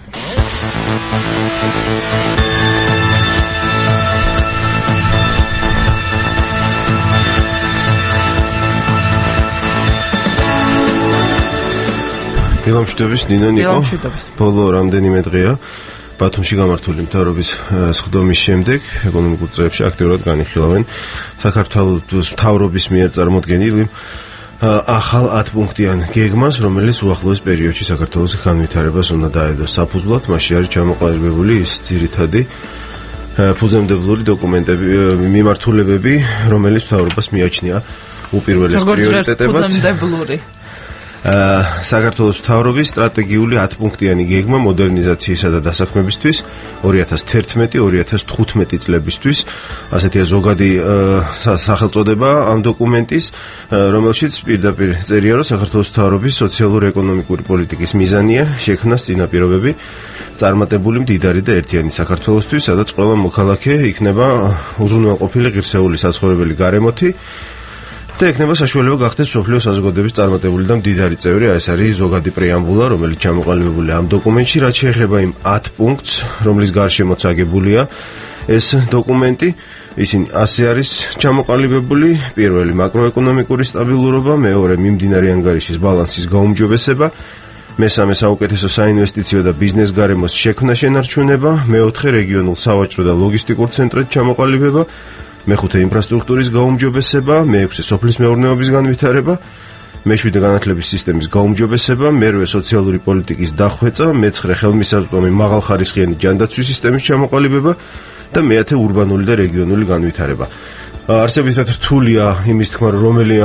დილამშვიდობის ნინო ნიკო. ბოლო რამდენიმე დღეა ბათუმში გამართული მთავრობის სხდომის შემდეგ ეკონომიკურ წრეებში აქტიურად განიხილავენ საქართველოს მთავრობის მიერ წარმოდგენილი ახალ 10 პუნქტიან გეგმას, რომელიც უახლოეს პერიოდში საქართველოს განვითარებას უნდა დაედოს საფუძვლად. მასში არის ჩამოყალიბებული ის ძირითადი ფუძემდებლური დოკუმენტები, მიმართულებები, რომელიც მთავრობას მიაჩნია უპირველეს პრიორიტეტებად. საქართველოს მთავრობის სტრატეგიული 10 პუნქტიანი გეგმა მოდერნიზაციისა და დასაქმებისთვის 2011-2015 წლებისთვის, ასეთია ზოგადი სახელწოდება ამ დოკუმენტის, რომელშიც პირდაპირ წერია, რომ საქართველოს მთავრობის სოციალურ-ეკონომიკური პოლიტიკის მიზანია შექმნას წინაპირობები წარმატებული მდიდარი და ერთიანი საქართველოსთვის, სადაც ყველა მოქალაქე იქნება უზრუნველყოფილი ღირსეული საცხოვრებელი გარემოთი და ექნება საშუალება გახდეს სოფლიო საზოგადოების წარმატებული და მდიდარი წევრი. ეს არის ზოგადი პრეამბულა, რომელიც ჩამოყალიბებულია ამ დოკუმენტში, რაც შეეხება იმ 10 პუნქტს, რომლის გარშემოც აგებულია ეს დოკუმენტი. ისინი ასე არის ჩამოყალიბებული: პირველი, მაკროეკონომიკური სტაბილურობა; მეორე, მიმდინარე ანგარიშის ბალანსის გაუმჯობესება; მესამე, საუკეთესო საინვესტიციო და ბიზნეს გარემოს შექმნა შენარჩუნება; მეოთხე, რეგიონულ სავაჭრო და ლოგისტიკურ ცენტრად ჩამოყალიბება; მეხუთე, ინფრასტრუქტურის გაუმჯობესება; მეექვსე, სოფლის მეურნეობის განვითარება; მეშვიდე, განათლების სისტემის გაუმჯობესება; მერვე, სოციალური პოლიტიკის დახვეწა; მეცხრე, ხელმისაწვდომი მაღალხარისხიანი ჯანდაცვის სისტემის ჩამოყალიბება და მეათე, ურბანული და რეგიონული განვითარება. არსებითად რთულია იმის თქმა, რომელი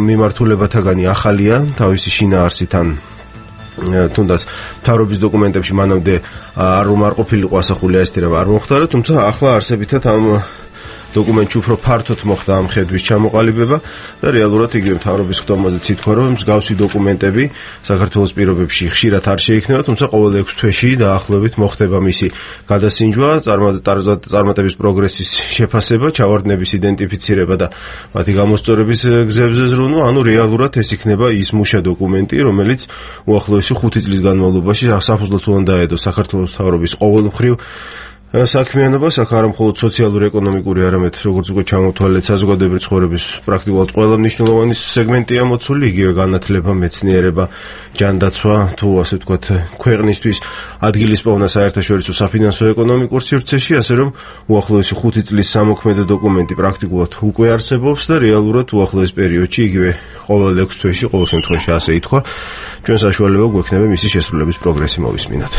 მიმართულებათაგანი ახალია თავისი შინაარსით ან თუნდაც მთავრობის დოკუმენტებში მანამდე არ ყოფილიყო ასახული ეს თემა არ მოხდარა, თუმცა ახლა არსებითად ამ დოკუმენტში უფრო ფართოდ მოხდა ამ ხედვის ჩამოყალიბება და რეალურად იგივე მთავრობის ხდომაზეც ითქვა, რომ მსგავსი დოკუმენტები საქართველოს პირობებში ხშირად არ შეიქმნება, თუმცა ყოველ 6 თვეში დაახლოებით მოხდება მისი გადასინჯვა, წარმატების პროგრესის შეფასება, ჩავარდნების იდენტიფიცირება და მათი გამოსწორების გზებზე ზრუნვა, ანუ რეალურად ეს იქნება ის მუშა დოკუმენტი, რომელიც უახლოესი 5 წლის განმავლობაში საფუძვლად უნდა დაედოს საქართველოს მთავრობის ყოველმხრივ საქმიანობას, აქ არა მხოლოდ სოციალურ-ეკონომიკური, არამედ როგორც უკვე ჩამოთვალეთ, საზოგადოებრივი ცხოვრების პრაქტიკულად ყველა მნიშვნელოვანი სეგმენტია მოცული, იგივე განათლება, მეცნიერება, ჯანდაცვა, თუ ასე ვთქვათ, ქვეყნისთვის ადგილის პოვნა საერთაშორისო საფინანსო ეკონომიკურ სივრცეში, ასე რომ უახლოესი 5 წლის სამოქმედო დოკუმენტი პრაქტიკულად უკვე არსებობს და რეალურად უახლოეს პერიოდში, იგივე ყოველ 6 თვეში, ყოველ შემთხვევაში ასე ითქვა, ჩვენ საშუალება გვექნება მისი შესრულების პროგრესი მოვისმინოთ.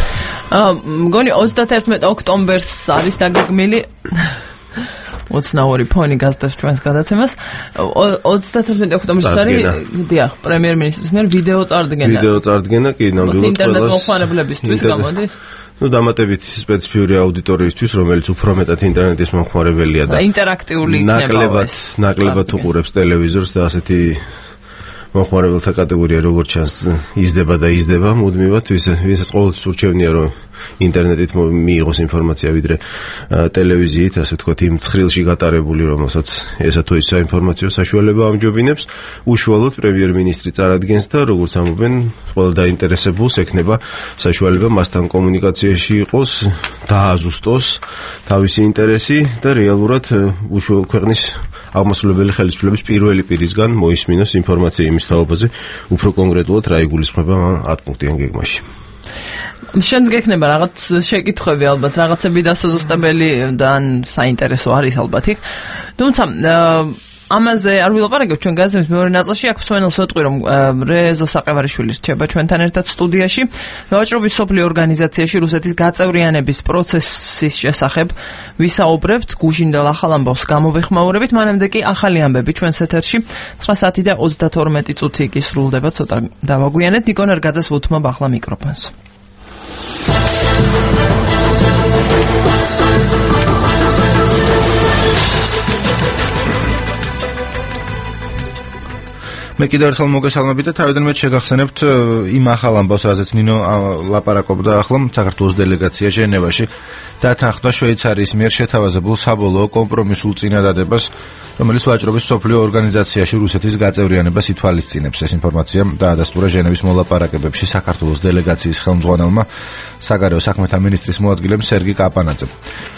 მგონი 31 ოქტომბერს არის დაგეგმილი ოცნაური ფონი გასდევს ჩვენს გადაცემას. 31 ოქტომბერს არის დიახ, პრემიერ-მინისტრის მიერ ვიდეო წარდგენა. კი, ნამდვილად ინტერნეტ მოხმარებლებისთვის გამოდის. დამატებით სპეციფიური აუდიტორიისთვის, რომელიც უფრო მეტად ინტერნეტის მომხმარებელია და ინტერაქტიული იქნება. ნაკლებად უყურებს ტელევიზორს და ასეთი მომხმარებელთა კატეგორია როგორც ჩანს იზრდება მუდმივად, ვისაც ყოველთვის ურჩევნია რომ ინტერნეტით მიიღოს ინფორმაცია ვიდრე ტელევიზიით, ასე ვთქვათ, იმ ცხრილში გატარებული, რომელსაც ესა თუ ის საინფორმაციო საშუალება ამჯობინებს, უშუალოდ პრემიერ-მინისტრი წარადგენს და როგორც ამბობენ, ყველა დაინტერესებულს ექნება საშუალება მასთან კომუნიკაციაში იყოს, დააზუსტოს თავისი ინტერესი და რეალურად უშუალოდ ქვეყნის აღმასრულებელი ხელისუფლების პირველი პირისგან მოისმინოს ინფორმაცია იმის თაობაზე, უფრო კონკრეტულად რა იგულისხმება 10 პუნქტიან გეგმაში. შენს გექნება რაღაც შეკითხვები ალბათ, რაღაცები დასაზუსტებელი და საინტერესო არის ალბათ იქ. თუმცა ამაზე არ ვილაპარაკებ ჩვენ გაზეთის მეორე ნაწილში, აქ მსმენელს ვეტყვი, რომ რეზო საყევარიშვილი რჩება ჩვენთან ერთად სტუდიაში. მევაჭრობის სოფლიო ორგანიზაციაში რუსეთის გაწევრიანების პროცესის შესახებ ვისაუბრებთ, გუშინდელ ახალ ამბავს გამოვეხმაურებით, მანამდე კი ახალი ამბები ჩვენს ეთერში 9 საათი და 32 წუთი კი სრულდება, ცოტა დავაგვიანეთ. ნიკონ ერგაძეს ვუთმობ ახლა მიკროფონს. მე კიდევ ერთხელ მოგესალმებით და თავიდანვე შეგახსენებთ იმ ახალ ამბავს, რაზეც ნინო ლაპარაკობდა ახლა საქართველოს დელეგაცია ჟენევაში დათანხმდა შვეიცარიის მიერ შეთავაზებულ საბოლოო კომპრომისულ წინადადებას, რომელიც ვაჭრობის სოფლიო ორგანიზაციაში რუსეთის გაწევრიანებას ითვალისწინებს. ეს ინფორმაცია დაადასტურა ჟენევის მოლაპარაკებებში საქართველოს დელეგაციის ხელმძღვანელმა საგარეო საქმეთა მინისტრის მოადგილემ სერგი კაპანაძემ.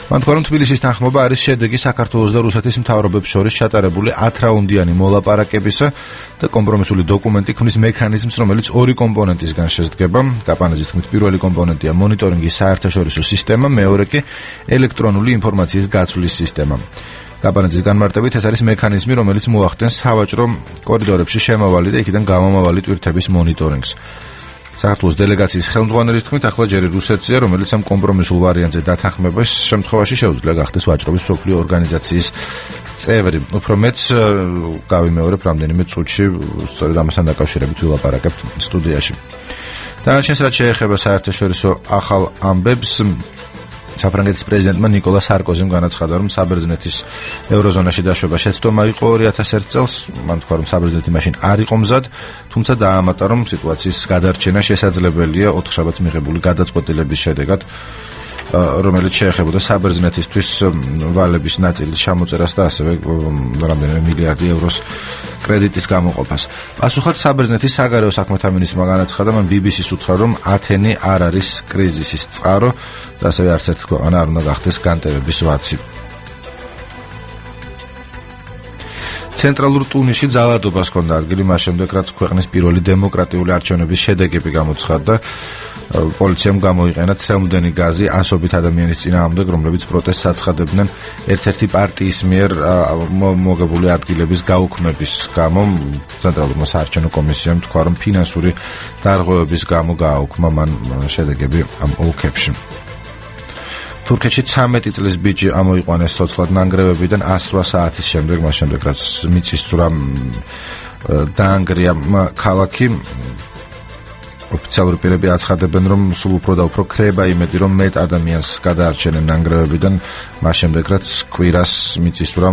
მან თქვა, რომ თბილისის თანხმობა არის შედეგი საქართველოს და რუსეთის მთავრობებს შორის ჩატარებული 10 რაუნდიანი მოლაპარაკებისა და კომპრომისული დოკუმენტი ქმნის მექანიზმს, რომელიც ორი კომპონენტისგან შედგება. კაპანაძის თქმით, პირველი კომპონენტია მონიტორინგის საერთაშორისო სისტემა, მეორე კი ელექტრონული ინფორმაციის გაცვლის სისტემა. კაპანაძის განმარტებით ეს არის მექანიზმი, რომელიც მოახდენს სავაჭრო კორიდორებში შემავალი და იქიდან გამომავალი ტვირთების მონიტორინგს. საქართველოს დელეგაციის ხელმძღვანელის თქმით, ახლა ჯერ რუსეთია, რომელიც ამ კომპრომისულ ვარიანტზე დათანხმების შემთხვევაში შეუძლია გახდეს ვაჭრობის სოფლიო ორგანიზაციის წევრი. უფრო მეც გავიმეორებ რამდენიმე წუთში, სწორედ ამასთან დაკავშირებით ვილაპარაკებთ სტუდიაში. დანარჩენს რაც შეეხება საერთაშორისო ახალ ამბებს, საფრანგეთის პრეზიდენტმა ნიკოლა სარკოზიმ განაცხადა, რომ საბერძნეთის ევროზონაში დაშვება შეცდომა იყო 2001 წელს. მან თქვა, რომ საბერძნეთი მაშინ არ იყო მზად, თუმცა დაამატა, რომ სიტუაციის გადარჩენა შესაძლებელია 4 შაბათს მიღებული გადაწყვეტილების შედეგად, რომელიც შეეხებოდა საბერძნეთისთვის ვალების ნაწილის ჩამოწერას და ასევე რამდენიმე მილიარდი ევროს კრედიტის გამოყოფას. პასუხად საბერძნეთის საგარეო საქმეთა მინისტრმა განაცხადა, მან BBC-ს უთხრა, რომ ათენი არ არის კრიზისის წყარო და ასევე არც ერთი ქვეყანა არ უნდა გახდეს განტევების ვაცი. ცენტრალურ ტუნისში ძალადობას ჰქონდა ადგილი მას შემდეგ, რაც ქვეყნის პირველი დემოკრატიული არჩევნების შედეგები გამოცხადდა. პოლიციამ გამოიყენა ცელმდენი გაზი ასობით ადამიანის წინააღმდეგ, რომლებიც პროტესტს აცხადებდნენ ერთ-ერთი პარტიის მიერ მოგებული ადგილების გაუქმების გამო. ცენტრალურმა საარჩევნო კომისიამ თქვა, რომ ფინანსური დარღვევების გამო გააუქმა მან შედეგები ამ ოლქებში. თურქეთში 13 წლის ბიჭი ამოიყვანეს ცოცხლად ნანგრევებიდან 108 საათის შემდეგ, მას შემდეგ რაც მიწისძვრამ დაანგრია ქალაქი. ოფიციალური პირები აცხადებენ, რომ სულ უფრო და უფრო ქრება იმედი, რომ მეტ ადამიანს გადაარჩენენ ნანგრევებიდან, მას შემდეგ რაც კვირას მიწისძვრა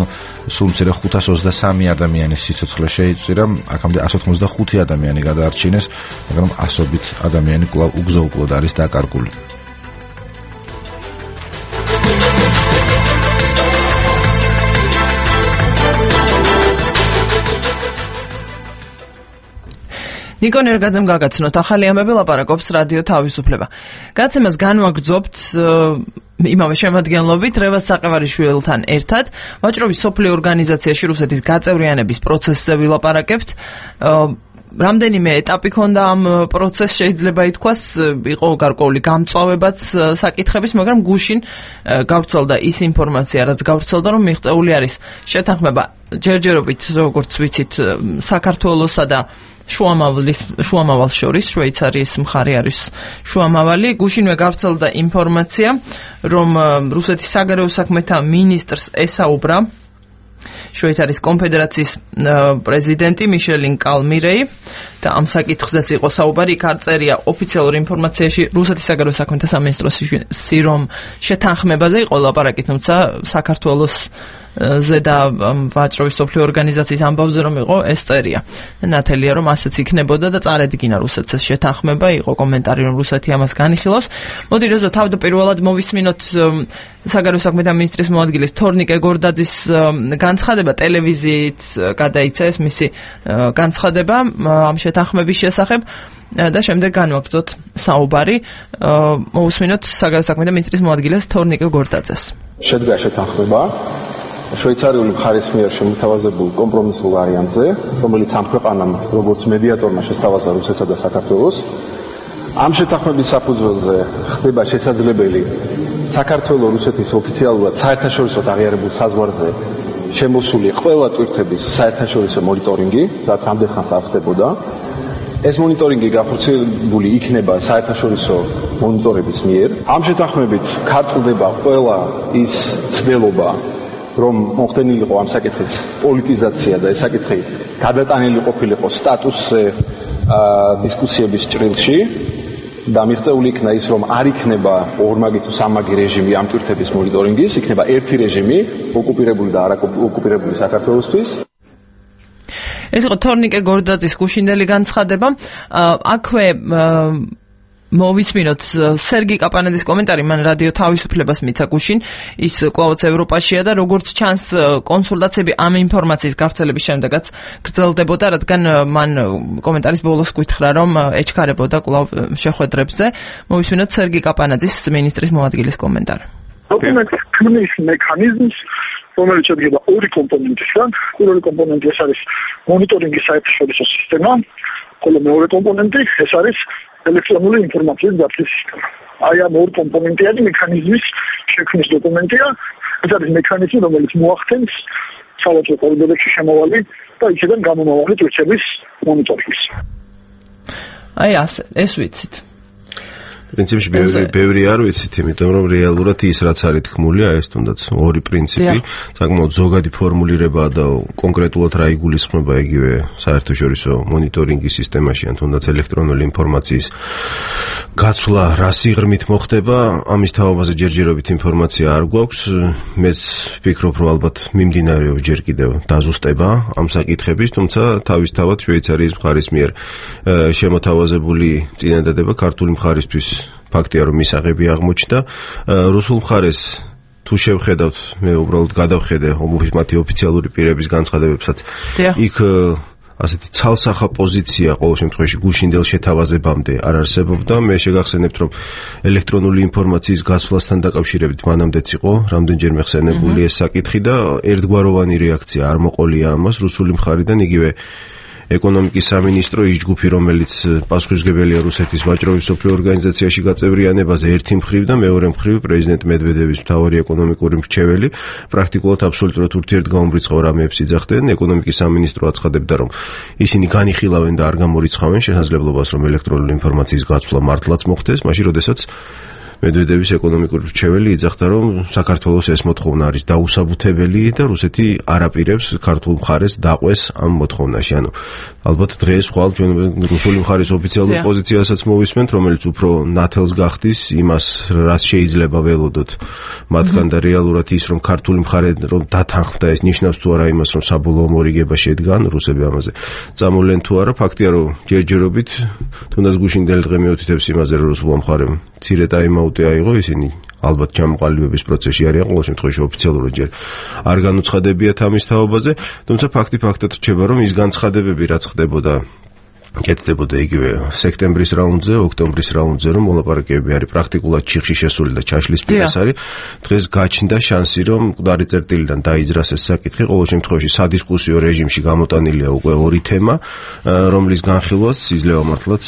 სულ მცირე 523 ადამიანის სიცოცხლე შეიწირა, აქამდე 185 ადამიანი გადაარჩინეს, მაგრამ ასობით ადამიანი კვლავ უგზო-უკვლოდ არის დაკარგული. ნიკო ნერგაძემ გაგაცნოთ ახალი ამბები, ლაპარაკობს რადიო თავისუფლება. გაცემას განვაგრძობთ იმავე შემადგენლობით რევაზ საყევარიშვილთან ერთად. ვაჭრობის სოფლიო ორგანიზაციაში რუსეთის გაწევრიანების პროცესზე ვილაპარაკებთ. რამდენიმე ეტაპი ქონდა ამ პროცესს, შეიძლება ითქვას, იყო გარკვეული გამწვავებაც საკითხების, მაგრამ გუშინ გავრცელდა ის ინფორმაცია, რაც გავრცელდა, რომ მიღწეული არის შეთანხმება ჯერჯერობით, როგორც ვიცით, საქართველოსა და შუამავალს შორის, შვეიცარიის მხარე არის შუამავალი. გუშინვე გავრცელდა ინფორმაცია, რომ რუსეთის საგარეო საქმეთა მინისტრს ესაუბრა შვეიცარიის კონფედერაციის პრეზიდენტი მიშელინ კალმირეი და ამ საკითხზეც იყო საუბარი. იქ არ წერია ოფიციალურ ინფორმაციაში რუსეთის საგარეო საქმეთა სამინისტროსი, რომ შეთანხმებაზე იყო ლაპარაკი, თუმცა საქართველოს ზედა ვაჭრობის სოფლიო ორგანიზაციის ამბავზე რომ იყო ეს წერია. ნათელია რომ ასეც იქნებოდა და წარედგინა რუსეთს ეს შეთანხმება, იყო კომენტარი რომ რუსეთი ამას განიხილავს. მოდი რეზო თავდაპირველად მოვისმინოთ საგარეო საქმეთა მინისტრის მოადგილის თორნიკე გორდაძის განცხადება, ტელევიზიით გადაიცა ეს მისი განცხადება ამ შეთანხმების შესახებ და შემდეგ განვაგრძოთ საუბარი. მოვისმინოთ საგარეო საქმეთა მინისტრის მოადგილეს თორნიკე გორდაძეს. შედგა შეთანხმება შვეიცარიული მხარის მიერ შემოთავაზებულ კომპრომისულ ვარიანტზე, რომელიც ამ ქვეყანამ როგორც მედიატორმა შესთავაზა რუსეთსა და საქართველოს. ამ შეთანხმების საფუძველზე ხდება შესაძლებელი საქართველოს რუსეთის ოფიციალურად საერთაშორისო აღიარებულ საზღვარზე შემოსული ყველა ტვირთების საერთაშორისო მონიტორინგი, რაც ამდენ ხანს არ ხდებოდა. ეს მონიტორინგი გახორციელებული იქნება საერთაშორისო მონიტორების მიერ. ამ შეთანხმებით ქარწყდება ყველა ის ცდელობა, რომ მოხდენილიყო ამ საკითხის პოლიტიზაცია და ეს საკითხი გადატანილი ყოფილიყო სტატუსზე დისკუსიების ჭრილში და მიღწეული იქნა ის, რომ არ იქნება ორმაგი თუ სამაგი რეჟიმი ამ ტვირთების მონიტორინგის, იქნება ერთი რეჟიმი, ოკუპირებული და არაოკუპირებული საქართველოსთვის. ეს იყო თორნიკე გორდაძის გუშინდელი განცხადება. აქვე მოვისმინოთ სერგი კაპანაძის კომენტარი, მან რადიო თავისუფლებას მიცა გუშინ, ის კვლავაც ევროპაშია და როგორც ჩანს კონსულტაციები ამ ინფორმაციის გავრცელების შემდეგაც გრძელდებოდა, რადგან მან კომენტარის ბოლოს გითხრა, რომ ეჩქარებოდა კვლავ შეხვედრებზე. მოვისმინოთ სერგი კაპანაძის მინისტრის მოადგილის კომენტარი. დოკუმენტის ქმნის მექანიზმს, რომელიც შედგება ორი კომპონენტისგან. პირველი კომპონენტი ეს არის მონიტორინგის საერთაშორისო სისტემა, ხოლო მეორე კომპონენტი ეს არის ელექტრონული ინფორმაციის დაცვის სისტემა. აი ამ ორ კომპონენტიანი მექანიზმის შექმნის დოკუმენტია. ეს არის მექანიზმი, რომელიც მოახდენს სავაჭრო კორიდორებში შემოვალი და იქიდან გამომავალი ტვირთების მონიტორინგს. აი ასე, ეს ვიცით. პრინციპში ბევრი არ ვიცით, იმიტომ რომ რეალურად ის რაც არის თქმული, ეს თუნდაც ორი პრინციპი, საკმაოდ ზოგადი ფორმულირება და კონკრეტულად რა იგულისხმება იგივე საერთაშორისო მონიტორინგის სისტემაში, ან თუნდაც ელექტრონული ინფორმაციის გაცვლა რა სიღრმით მოხდება, ამის თავაზე ჯერჯერობით ინფორმაცია არ გვაქვს. მეც ვფიქრობ, რომ ალბათ მიმდინარეობს ჯერ კიდევ დაზუსტება ამ საკითხების, თუმცა თავისთავად შვეიცარიის მხარის მიერ შემოთავაზებული წინადადება ქართული მხარისთვის ფაქტია, რომ მისაღები აღმოჩნდა. რუსულ მხარეს თუ შევხედავთ, მე უბრალოდ გადავხედე მათი ოფიციალური პირების განცხადებებსაც, იქ ასეთი ცალსახა პოზიცია ყოველ შემთხვევაში გუშინდელ შეთავაზებამდე არ არსებობდა. მე შეგახსენებთ, რომ ელექტრონული ინფორმაციის გაცვლასთან დაკავშირებით მანამდეც იყო რამდენჯერმე ხსენებული ეს საკითხი და ერთგვაროვანი რეაქცია არ მოყოლია ამას რუსული მხარიდან, იგივე ეკონომიკის სამინისტრო ის ჯგუფი, რომელიც პასუხისმგებელია რუსეთის ვაჭრობის სოფლიო ორგანიზაციაში გაწევრიანებაზე ერთი მხრივ და მეორე მხრივ პრეზიდენტ მედვედევის მთავარი ეკონომიკური მრჩეველი პრაქტიკულად აბსოლუტურად ურთიერთგამომრიცხავ რამეებს იძახდნენ. ეკონომიკის სამინისტრო აცხადებდა, რომ ისინი განიხილავენ და არ გამორიცხავენ შესაძლებლობას, რომ ელექტრონული ინფორმაციის გაცვლა მართლაც მოხდეს, მაშინ როდესაც მედვედევის ეკონომიკური მრჩეველი იძახდა, რომ საქართველოს ეს მოთხოვნა არის დაუსაბუთებელი და რუსეთი არ აპირებს ქართულ მხარეს დაყვეს ამ მოთხოვნაში. ანუ ალბათ დღეს ხვალ ჩვენ რუსული მხარის ოფიციალურ პოზიციასაც მოვისმენთ, რომელიც უფრო ნათელს გახდის იმას, რაც შეიძლება ველოდოთ მათგან და რეალურად ის რომ ქართული მხარე რომ დათანხმდა ეს ნიშნავს თუ არა იმას რომ საბოლოო მორიგება შედგან რუსები ამაზე წამოვლენ თუ არა ფაქტია რომ ჯერჯერობით თუნდაც გუშინდელი დღე მიუთითებს იმაზე რომ რუსულმა მხარემ მცირე ტაიმაუტი აიღო ისინი ალბათ ჩამოყალიბების პროცესში არიან ყოველ შემთხვევაში ოფიციალურად ჯერ არ განუცხადებიათ ამის თაობაზე თუმცა ფაქტი ფაქტად რჩება რომ ის განცხადებები რაც ხდებოდა კეთდებოდა იგივე სექტემბრის რაუნდზე, ოქტომბრის რაუნდზე, რომ მოლაპარაკებები არის პრაქტიკულად ჩიხში შესული და ჩაშლის პირას არის. დღეს გაჩნდა შანსი, რომ მკვდარი წერტილიდან დაიძრას ეს საკითხი. ყოველ შემთხვევაში სადისკუსიო რეჟიმში გამოტანილია უკვე ორი თემა, რომლის განხილვაც იძლევა მართლაც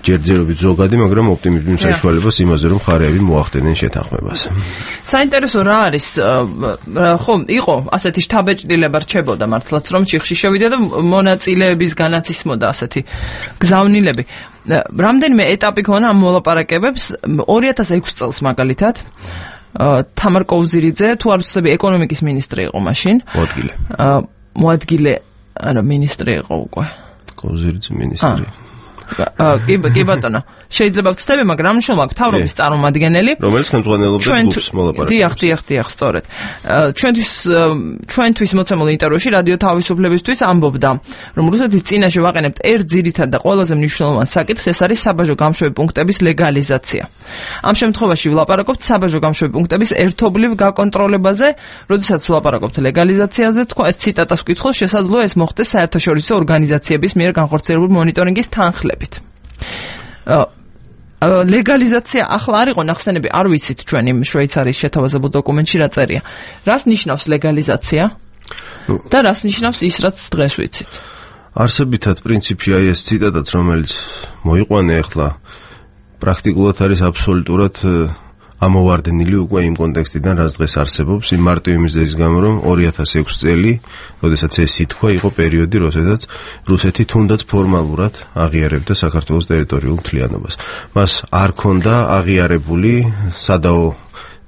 ჯერჯერობით ზოგადი, მაგრამ ოპტიმიზმის საშუალებას იმაზე, რომ მხარეები მოახდენენ შეთანხმებას. საინტერესო რა არის, ხო, იყო ასეთი შთაბეჭდილება რჩებოდა მართლაც, რომ ჩიხში შევიდა და მონაწილეების განაცისმოდა ასეთი გზავნილები. რამდენიმე ეტაპი ქონა ამ მოლაპარაკებებს 2006 წელს მაგალითად. თამარ კოუზირიძე, თუ არ ვცდები, ეკონომიკის მინისტრი იყო მაშინ. მოადგილე, არა, მინისტრი იყო უკვე. კოუზირიძე მინისტრი. კი ბატონო შეიძლება ვცდები მაგრამ მნიშვნელობა მთავრობის წარმომადგენელი რომელიც ხელმძღვანელობდა ჯგუფს მოლაპარაკებებს დიახ სწორედ ჩვენთვის მოცემულ ინტერვიუში რადიო თავისუფლებისთვის ამბობდა რომ რუსეთის წინაშე ვაყენებთ ერთ ძირითად და ყველაზე მნიშვნელოვან საკითხს ეს არის საბაჟო გამშვები პუნქტების ლეგალიზაცია ამ შემთხვევაში ვლაპარაკობთ საბაჟო გამშვები პუნქტების ერთობლივ გაკონტროლებაზე როდესაც ვლაპარაკობთ ლეგალიზაციაზე თქვა ეს ციტატას ვკითხავს შესაძლოა ეს მოხდეს საერთაშორისო ორგანიზაციების მიერ განხორციელებული მონიტორინგის თანხლებით ლეგალიზაცია ახლა არ იყო ნახსენები არ ვიცით ჩვენ იმ შვეიცარიის შეთავაზებულ დოკუმენტში რა წერია რას ნიშნავს ლეგალიზაცია და რას ნიშნავს ის რაც დღეს ვიცით არსებითად პრინციპში აი ეს ციტატაც რომელიც მოიყვანე ახლა პრაქტიკულად არის აბსოლუტურად ამოვარდნილი უკვე იმ კონტექსტიდან რაც დღეს არსებობს იმ მარტივი მიზეზის გამო რომ 2006 წელი როდესაც ეს სიტყვა იყო პერიოდი როდესაც რუსეთი თუნდაც ფორმალურად აღიარებდა საქართველოს ტერიტორიულ მთლიანობას მას არ ქონდა აღიარებული სადაო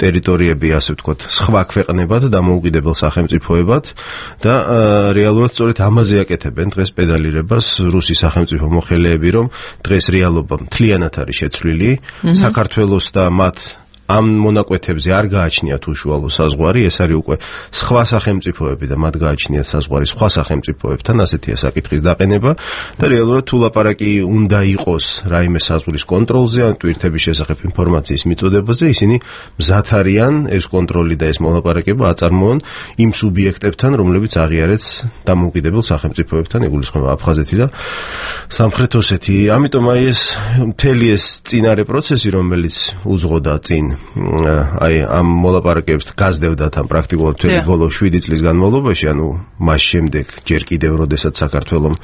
ტერიტორიები ასე ვთქვათ სხვა ქვეყნებად დამოუკიდებელ სახელმწიფოებად და რეალურად სწორედ ამაზე აკეთებენ დღეს პედალირებას რუსი სახელმწიფო მოხელეები რომ დღეს რეალობა მთლიანად არის შეცვლილი საქართველოს და მათ ამ მონაკვეთებზე არ გააჩნიათ უშუალო საზღვარი, ეს არის უკვე სხვა სახელმწიფოები და მათ გააჩნიათ საზღვარი სხვა სახელმწიფოებთან, ასეთია საკითხის დაყენება და რეალურად თუ ლაპარაკი უნდა იყოს რაიმე საზღვრის კონტროლზე, ან ტვირთების შესახებ ინფორმაციის მიწოდებაზე, ისინი მზად არიან ეს კონტროლი და ეს მოლაპარაკება აწარმოონ იმ სუბიექტებთან, რომლებიც აღიარეთ დამოუკიდებელ სახელმწიფოებთან, იგულისხმება აფხაზეთი და სამხრეთ ოსეთი. ამიტომ აი ეს მთელი ეს წინარე პროცესი, რომელიც უძღოდა წინ აი ამ მოლაპარაკებებს გაზრდებდათ ამ პრაქტიკულად მთელი ბოლო 7 წლის განმავლობაში, ანუ მას შემდეგ ჯერ კიდევ როდესაც საქართველოს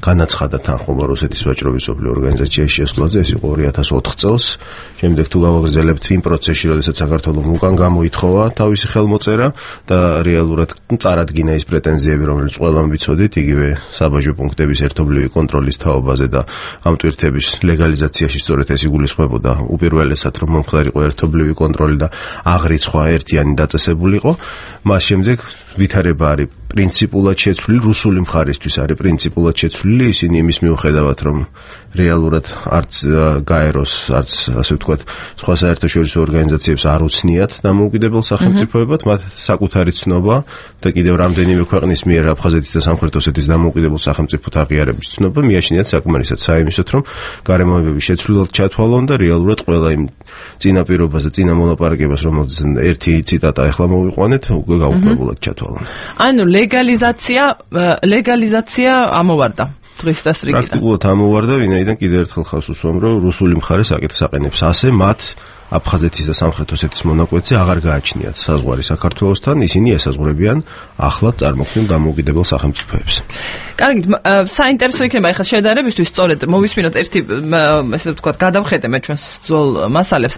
განაცხადა თანხმობა რუსეთის ვაჭრობის სოფლიო ორგანიზაციაში შესვლაზე, ეს იყო 2004 წელს. შემდეგ თუ გავაგრძელებთ იმ პროცესში, როდესაც საქართველოს უკან გამოითხოვა თავისი ხელმოწერა და რეალურად წარადგინა ის პრეტენზიები, რომელიც ყველამ ვიცოდით, იგივე საბაჟო პუნქტების ერთობლივი კონტროლის თაობაზე და ამ ტვირთების ლეგალიზაციაში სწორედ ეს იგულისხმებოდა უპირველესად, რომ მომხდარიყო ერთობლივი კონტროლი და აღრიცხვა ერთიანი დაწესებულიყო. მას შემდეგ ვითარება არის პრინციპულად შეცვლილი, რუსული მხარისთვის არის პრინციპულად შეცვლილი, ისინი იმის მიუხედავად, რომ რეალურად არც გაეროს, არც ასე ვთქვათ, სხვა საერთაშორისო ორგანიზაციებს არ უცნიათ დამოუკიდებელ სახელმწიფოებად, მათ საკუთარი ცნობა და კიდევ რამდენიმე ქვეყნის მიერ აფხაზეთის და სამხრეთ ოსეთის დამოუკიდებელ სახელმწიფოთ აღიარების ცნობა მიაჩნიათ საკმარისად საიმისოდ, რომ გარემოებები შეცვლილად ჩათვალონ და რეალურად ყველა იმ წინაპირობას და წინა მოლაპარაკებას, რომელზეც ერთი ციტატა ახლა მოვიყვანეთ, უკვე გაუქმებულად ჩათვალონ. ანუ ლეგალიზაცია ამოვარდა დღის დასრიგიდან. პრაქტიკულად ამოვარდა, ვინაიდან კიდევ ერთხელ ხავს უსვამ, რომ რუსული მხარე საკითხს აყენებს ასე მათ აფხაზეთის და სამხრეთ ოსეთის მონაკვეთზე აღარ გააჩნიათ საზღვარი საქართველოსთან, ისინი ესაზღვრებიან ახლად წარმოქმნილ დამოუკიდებელ სახელმწიფოებს. კარგით, საინტერესო იქნება ახლა შედარებისთვის სწორედ მოვისმინოთ ერთი ესე ვთქვათ გადავხედე მე ჩვენს ძველ მასალებს.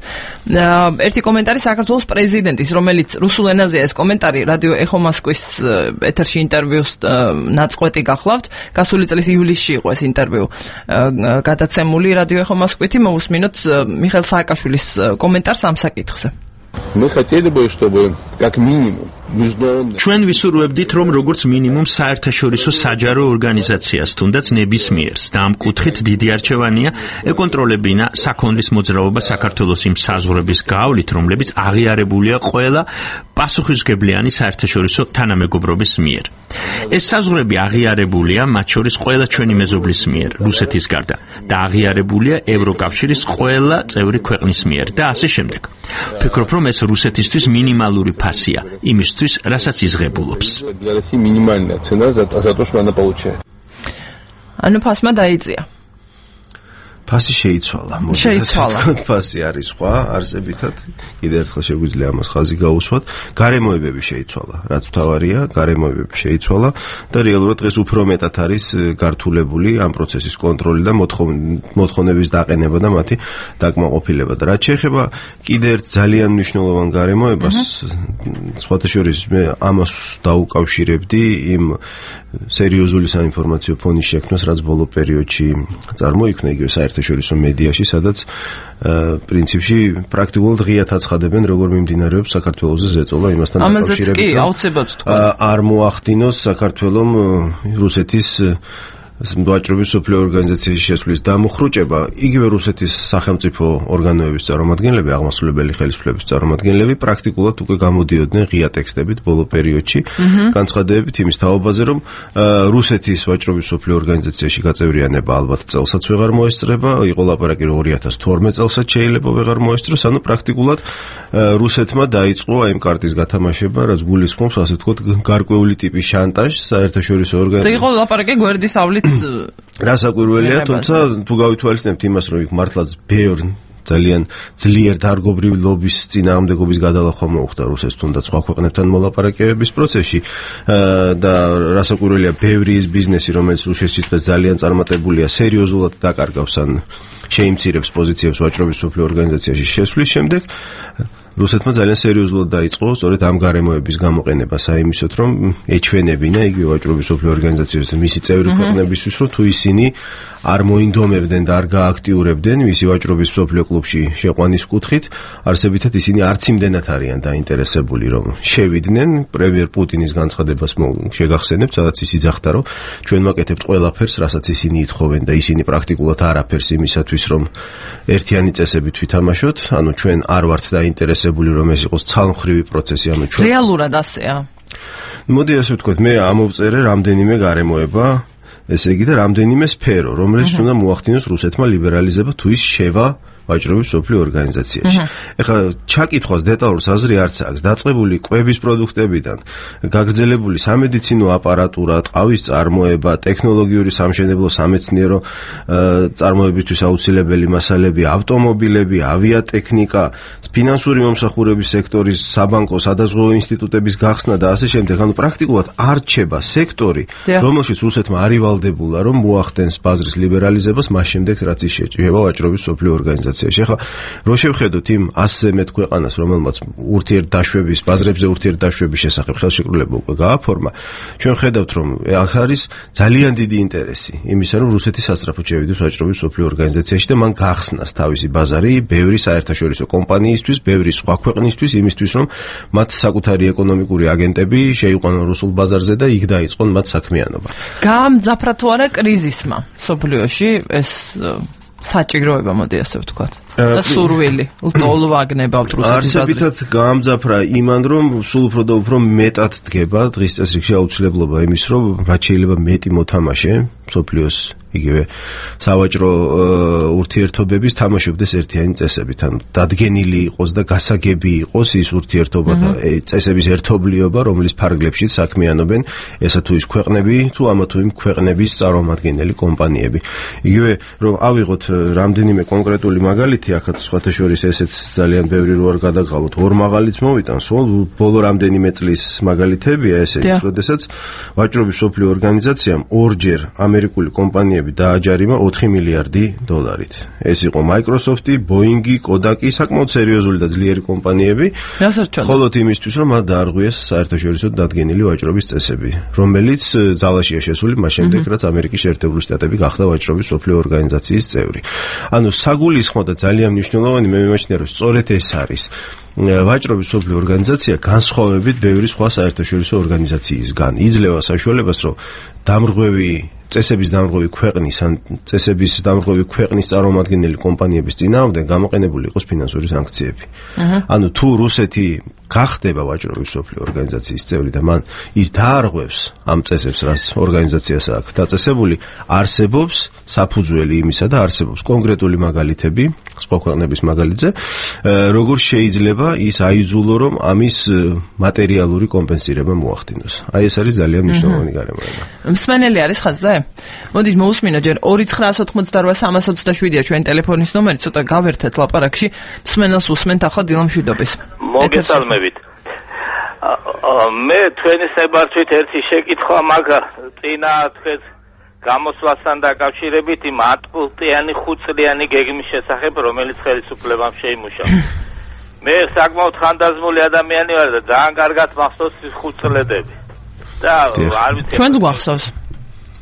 ერთი კომენტარი საქართველოს პრეზიდენტის, რომელიც რუსულ ენაზეა ეს კომენტარი, რადიო ეხო მოსკვის ეთერში ინტერვიუს ნაწყვეტი გახლავთ. გასული წლის ივლისში იყო ეს ინტერვიუ გადაცემული რადიო ეხო მოსკვითი, მოვისმინოთ მიხეილ სააკაშვილის комментарий сам საკითხზე. Мы хотели бы, чтобы как минимум ჩვენ ვისურვებდით, რომ როგორც მინიმუმ საერთაშორისო საჯარო ორგანიზაციას, თუნდაც ნებისმიერს და ამ კუთხით დიდი არჩევანია ეკონტროლებინა საქონლის მოძრაობა საქართველოს იმ საზღვრების გავლით, რომლებიც აღიარებულია ყველა პასუხისმგებლიანი საერთაშორისო თანამეგობრობის მიერ. ეს საზღვრები აღიარებულია მათ შორის ყველა ჩვენი მეზობლის მიერ, რუსეთის გარდა, და აღიარებულია ევროკავშირის ყველა წევრი ქვეყნის მიერ და ასე შემდეგ. ვფიქრობ, რომ ეს რუსეთისთვის მინიმალური ფასია იმისთვის, რასაც იზღებულობს. ანუ ფასმა დაიწია. ფასი შეიცვალა. ფასი არის სხვა არსებითად. კიდევ ერთხელ შეგვიძლია ამას ხაზი გაუსვათ. გარემოებები შეიცვალა. რაც მთავარია, გარემოებები შეიცვალა და რეალურად დღეს უფრო მეტად არის გართულებული ამ პროცესის კონტროლი და მოთხოვნების დაყენება და მათი დაკმაყოფილება. და რაც შეეხება კიდევ ერთ ძალიან მნიშვნელოვან გარემოებას, სხვათა შორის მე ამას დაუკავშირებდი იმ სერიოზული საინფორმაციო ფონის შექმნას, რაც ბოლო პერიოდში წარმოიქმნა იგივე საერთაშორისო მედიაში, სადაც პრინციპში პრაქტიკულად ღიად აცხადებენ, როგორ მიმდინარეობს საქართველოს ზეწოლა იმასთან დაკავშირებით, არ მოახდინოს საქართველომ რუსეთის ვაჭრობის სოფლიო ორგანიზაციაში შესვლის დამუხრუჭება, იგივე რუსეთის სახელმწიფო ორგანოების წარმომადგენლები, აღმასრულებელი ხელისუფლების წარმომადგენლები პრაქტიკულად უკვე გამოდიოდნენ ღია ტექსტებით ბოლო პერიოდში, განცხადებებით იმის თაობაზე, რომ რუსეთის ვაჭრობის სოფლიო ორგანიზაციაში გაწევრიანება ალბათ წელსაც ვეღარ მოესწრება, იყო ლაპარაკი რომ 2012 წელსაც შეიძლება ვეღარ მოესწროს, ანუ პრაქტიკულად რუსეთმა დაიწყო აი ამ კარტის გათამაშება, რაც გულისხმობს ასე ვთქვათ გარკვეული ტიპის შანტაჟს საერთაშორისო ორგანიზაციებში. იყო ლაპარაკი გვერდისავლით რასაკვირველია, თუმცა თუ გავითვალისწინებთ იმას, რომ იქ მართლაც ბევრი ძალიან ძლიერ დარგობრივ ლობის წინააღმდეგობის გადალახვა მოუხდა რუსეთს თუნდაც სხვა ქვეყნებთან მოლაპარაკებების პროცესში და რასაკვირველია, ბევრი ის ბიზნესი, რომელიც რუსეთშიც ძალიან წარმატებულია, სერიოზულად დაკარგავს ან შეიმცირებს პოზიციებს ვაჭრობის სოფლიო ორგანიზაციაში შესვლის შემდეგ რუსეთმა ძალიან სერიოზულად დაიწყო სწორედ ამ გარემოების გამოყენება საიმისოდ, რომ ეჩვენებინა იგივე ვაჭრობის სოფლიო ორგანიზაციებს და მისი წევრი ქვეყნებისთვის, რომ თუ ისინი არ მოინდომებდნენ და არ გააქტიურებდნენ მისი ვაჭრობის სოფლიო კლუბში შეყვანის კუთხით, არსებითად ისინი არც იმდენად არიან დაინტერესებული, რომ შევიდნენ. პრემიერ პუტინის განცხადებას შეგახსენებთ, სადაც ის იძახდა, რომ ჩვენ ვაკეთებთ ყველაფერს, რასაც ისინი ითხოვენ და ისინი პრაქტიკულად არაფერს იმისათვის, რომ ერთიანი წესებით ვითამაშოთ, ანუ ჩვენ არ ვართ დაინტერესებული, რომ ეს იყოს ცალმხრივი პროცესი, ანუ ჩვენ რეალურად ასეა. მოდი ასე ვთქვათ, მე ამოვწერე რამდენიმე გარემოება, ესე იგი და რამდენიმე სფერო, რომელიც უნდა მოახდინოს რუსეთმა ლიბერალიზება თუ ის შევა ვაჭრობის სოფლიო ორგანიზაციაში. ეხლა ჩაკითხვას დეტალურს აზრი არც აქვს, დაწყებული კვების პროდუქტებიდან, გაგრძელებული სამედიცინო აპარატურა, ტყავის წარმოება, ტექნოლოგიური სამშენებლო სამეცნიერო წარმოებისთვის აუცილებელი მასალები, ავტომობილები, ავიატექნიკა, ფინანსური მომსახურების სექტორის, საბანკო, სადაზღვევო ინსტიტუტების გახსნა და ასე შემდეგ. ანუ პრაქტიკულად არ რჩება სექტორი, რომელშიც რუსეთმა არ ივალდებულა, რომ მოახდენს ბაზრის ლიბერალიზებას, მას შემდეგ რაც ის შეჭრება ვაჭრობის სოფლიო ორგანიზაციაში. რო შევხედოთ იმ 100-ზე მეტ ქვეყანას, რომელმაც ურთიერთდაშვების, ბაზრებზე ურთიერთდაშვების შესახებ ხელშეკრულება უკვე გააფორმა, ჩვენ ხედავთ, რომ აქ არის ძალიან დიდი ინტერესი იმისა, რომ რუსეთი სასწრაფოდ შევიდეს ვაჭრობის სოფლიო ორგანიზაციაში და მან გახსნას თავისი ბაზარი ბევრი საერთაშორისო კომპანიისთვის, ბევრი სხვა ქვეყნისთვის, იმისთვის, რომ მათ საკუთარი ეკონომიკური აგენტები შეიყვანონ რუსულ ბაზარზე და იქ დაიწყონ მათ საქმიანობა. გაამძაფრა თუ არა კრიზისმა სოფლიოში ეს საჭიროება, მოდი ასე ვთქვათ. და სურვილი, ლტოლ ვაგნებავთ რუსეთის ბაზრში. არსებითად გაამძაფრა იმან, რომ სულ უფრო და უფრო მეტად დგება დღის წესრიგში აუცილებლობა იმის, რომ რაც შეიძლება მეტი მოთამაშე სოფლიოს იგივე სავაჭრო ურთიერთობების თამაშობდეს ერთიანი წესებით, ანუ დადგენილი იყოს და გასაგები იყოს ის ურთიერთობა და წესების ერთობლიობა, რომლის ფარგლებშიც საქმიანობენ ესა თუ ის ქვეყნები, თუ ამა თუ იმ ქვეყნების წარმომადგენელი კომპანიები. იგივე რომ ავიღოთ რამდენიმე კონკრეტული მაგალითი, აქაც სხვათა შორის ესეც ძალიან ბევრი რო არ გადაგყავოთ, ორ მაღალიც მოვიტან, სულ ბოლო რამდენიმე წლის მაგალითებია ესეც, როდესაც ვაჭრობის სოფლიო ორგანიზაციამ ორჯერ ამერიკული კომპანიები დააჯარიმა 4 მილიარდი დოლარით. ეს იყო Microsoft-ი, Boeing-ი, Kodak-ი, საკმაოდ სერიოზული და ძლიერი კომპანიები. ხოლო იმისთვის, რომ მათ დაარღვიეს საერთაშორისო დადგენილი ვაჭრობის წესები, რომელიც ძალაშია შესული მას შემდეგ, რაც ამერიკის შეერთებული შტატები გახდა ვაჭრობის სოფლიო ორგანიზაციის წევრი. ანუ საგულისხმო და ძალიან მნიშვნელოვანი, მე მიმაჩნია, რომ სწორედ ეს არის ვაჭრობის სოფლიო ორგანიზაცია განსხვავებით ბევრი სხვა საერთაშორისო ორგანიზაციისგან. იძლევა საშუალებას, რომ წესების დამრღვევი ქვეყნის ან წესების დამრღვევი ქვეყნის წარმომადგენელი კომპანიების წინააღმდეგ გამოყენებული იყოს ფინანსური სანქციები. ანუ თუ რუსეთი გახდება ვაჭრობის სოფლიო ორგანიზაციის წევრი და მან ის დაარღვევს ამ წესებს, რაც ორგანიზაციას აქვს დაწესებული, არსებობს საფუძველი იმისა და არსებობს კონკრეტული მაგალითები სხვა ქვეყნების მაგალითზე, როგორ შეიძლება ის აიძულო, რომ ამის მატერიალური კომპენსირება მოახდინოს. აი ეს არის ძალიან მნიშვნელოვანი გარემოება. მსმენელი არის ხაზზე? მოდით მოусმინო ჯერ 2988327-ია ჩვენ ტელეფონის ნომერი, ცოტა გავერთეთ ლაპარაკში. მსმენელს უსმენთ ახლა დილა მშვიდობის. მოგესალმებით. მე თქვენი საბარჩვით ერთი შეკითხვა მაქვს წინა თქვენს გამოსვლასთან დაკავშირებით იმ 10 პუნქტიანი 5 წლიანი გეგმის შესახებ, რომელიც ხელისუფლებამ შეიმუშავა. მე საკმაოდ ხანდაზმული ადამიანი ვარ და ძალიან კარგად მახსოვს ის 5 წლედები. და არ ვიცი. ჩვენც გვახსოვს.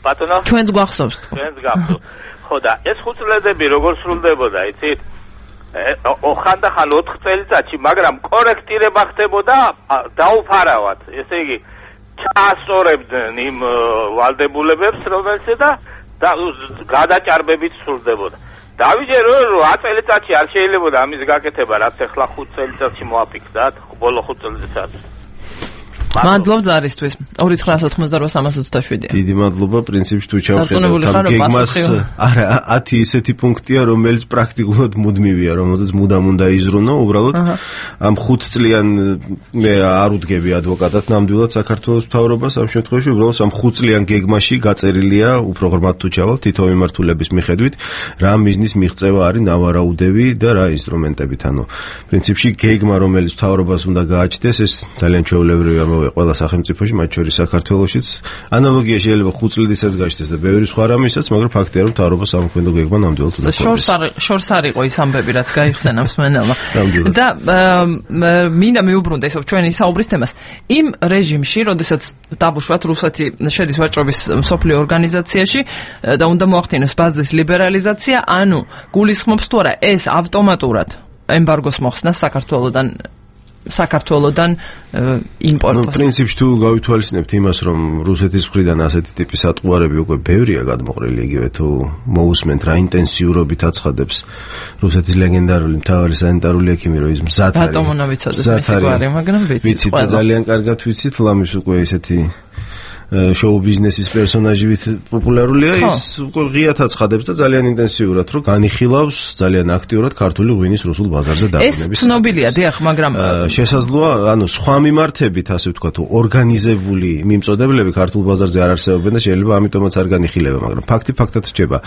ბატონო? ჩვენც გვახსოვს. ჩვენც გახსოვს. ხო და ეს 5 წლედები როგორ სრულდებოდა, იცით? ხანდახან 4 წელიწადში, მაგრამ კორექტირება ხდებოდა დაუფარავად. ესე იგი, ჩაასწორებდნენ იმ ვალდებულებებს, რომელიც და გადაჭარბებით სრულდებოდა. დავიჯერო, რომ 10 წელიწადში არ შეიძლებოდა ამის გაკეთება, რაც ახლა 5 წელიწადში მოაფიქრდათ, ბოლო 5 წელიწადში. მადლობ ზარისთვის 2988327. დიდი მადლობა, პრინციპში თუ ჩავხედავ ამ გეგმას, არა 10 ისეთი პუნქტია, რომელიც პრაქტიკულად მუდმივია, რომელზეც მუდამ უნდა იზრუნო, უბრალოდ ამ 5 წლიან მე არ უდგები ადვოკატად ნამდვილად საქართველოს მთავრობას ამ შემთხვევაში, უბრალოდ ამ 5 წლიან გეგმაში გაწერილია უფრო ღრმად თუ ჩავალ თითო მიმართულების მიხედვით, რა მიზნის მიღწევა არის ნავარაუდები და რა ინსტრუმენტებით, ანუ პრინციპში გეგმა, რომელიც მთავრობას უნდა გააჩნდეს, ეს ძალიან ჩვეულებრივია ყველა სახელმწიფოში, მათ შორის საქართველოშიც. ანალოგია შეიძლება 5 წლიდანაც გაჩნდეს და ბევრი სხვა რამესაც, მაგრამ ფაქტია, რომ მთავრობა სამოქმედო გეგმა ნამდვილად უნდა ქონდეს. შორს არ იყო ის ამბები, რაც გაიხსენა მსმენელმა. და მინდა მიუბრუნდე ისევ ჩვენი საუბრის თემას. იმ რეჟიმში, როდესაც დაბუშვათ რუსეთი შედის ვაჭრობის მსოფლიო ორგანიზაციაში და უნდა მოახდინოს ბაზრის ლიბერალიზაცია, ანუ გულისხმობს თუ არა ეს ავტომატურად ემბარგოს მოხსნა საქართველოდან იმპორტს. პრინციპში თუ გავითვალისწინებთ იმას, რომ რუსეთის მხრიდან ასეთი ტიპის ატყუარები უკვე ბევრია გადმოყრილი, იგივე თუ მოусმენთ რა ინტენსიურობით აცხადებს რუსეთის ლეგენდარული მთავარი სანიტარული ექიმი, რომ ის მზად არის. რატომ უნდა ვიცოდეთ მისი გვარი, მაგრამ ვიცით და ძალიან კარგად ვიცით, ლამის უკვე ესეთი შოუ ბიზნესის პერსონაჟივით პოპულარულია, ის უკვე ღიად აცხადებს და ძალიან ინტენსიურად რომ განიხილავს ძალიან აქტიურად ქართული ღვინის რუსულ ბაზარზე დაბრუნების. ეს ცნობილია, დიახ, მაგრამ შესაძლოა, ანუ სხვა მიმართებით, ასე ვთქვათ, ორგანიზებული მიმწოდებლები ქართულ ბაზარზე არ არსებობენ და შეიძლება ამიტომაც არ განიხილება, მაგრამ ფაქტი ფაქტად რჩება.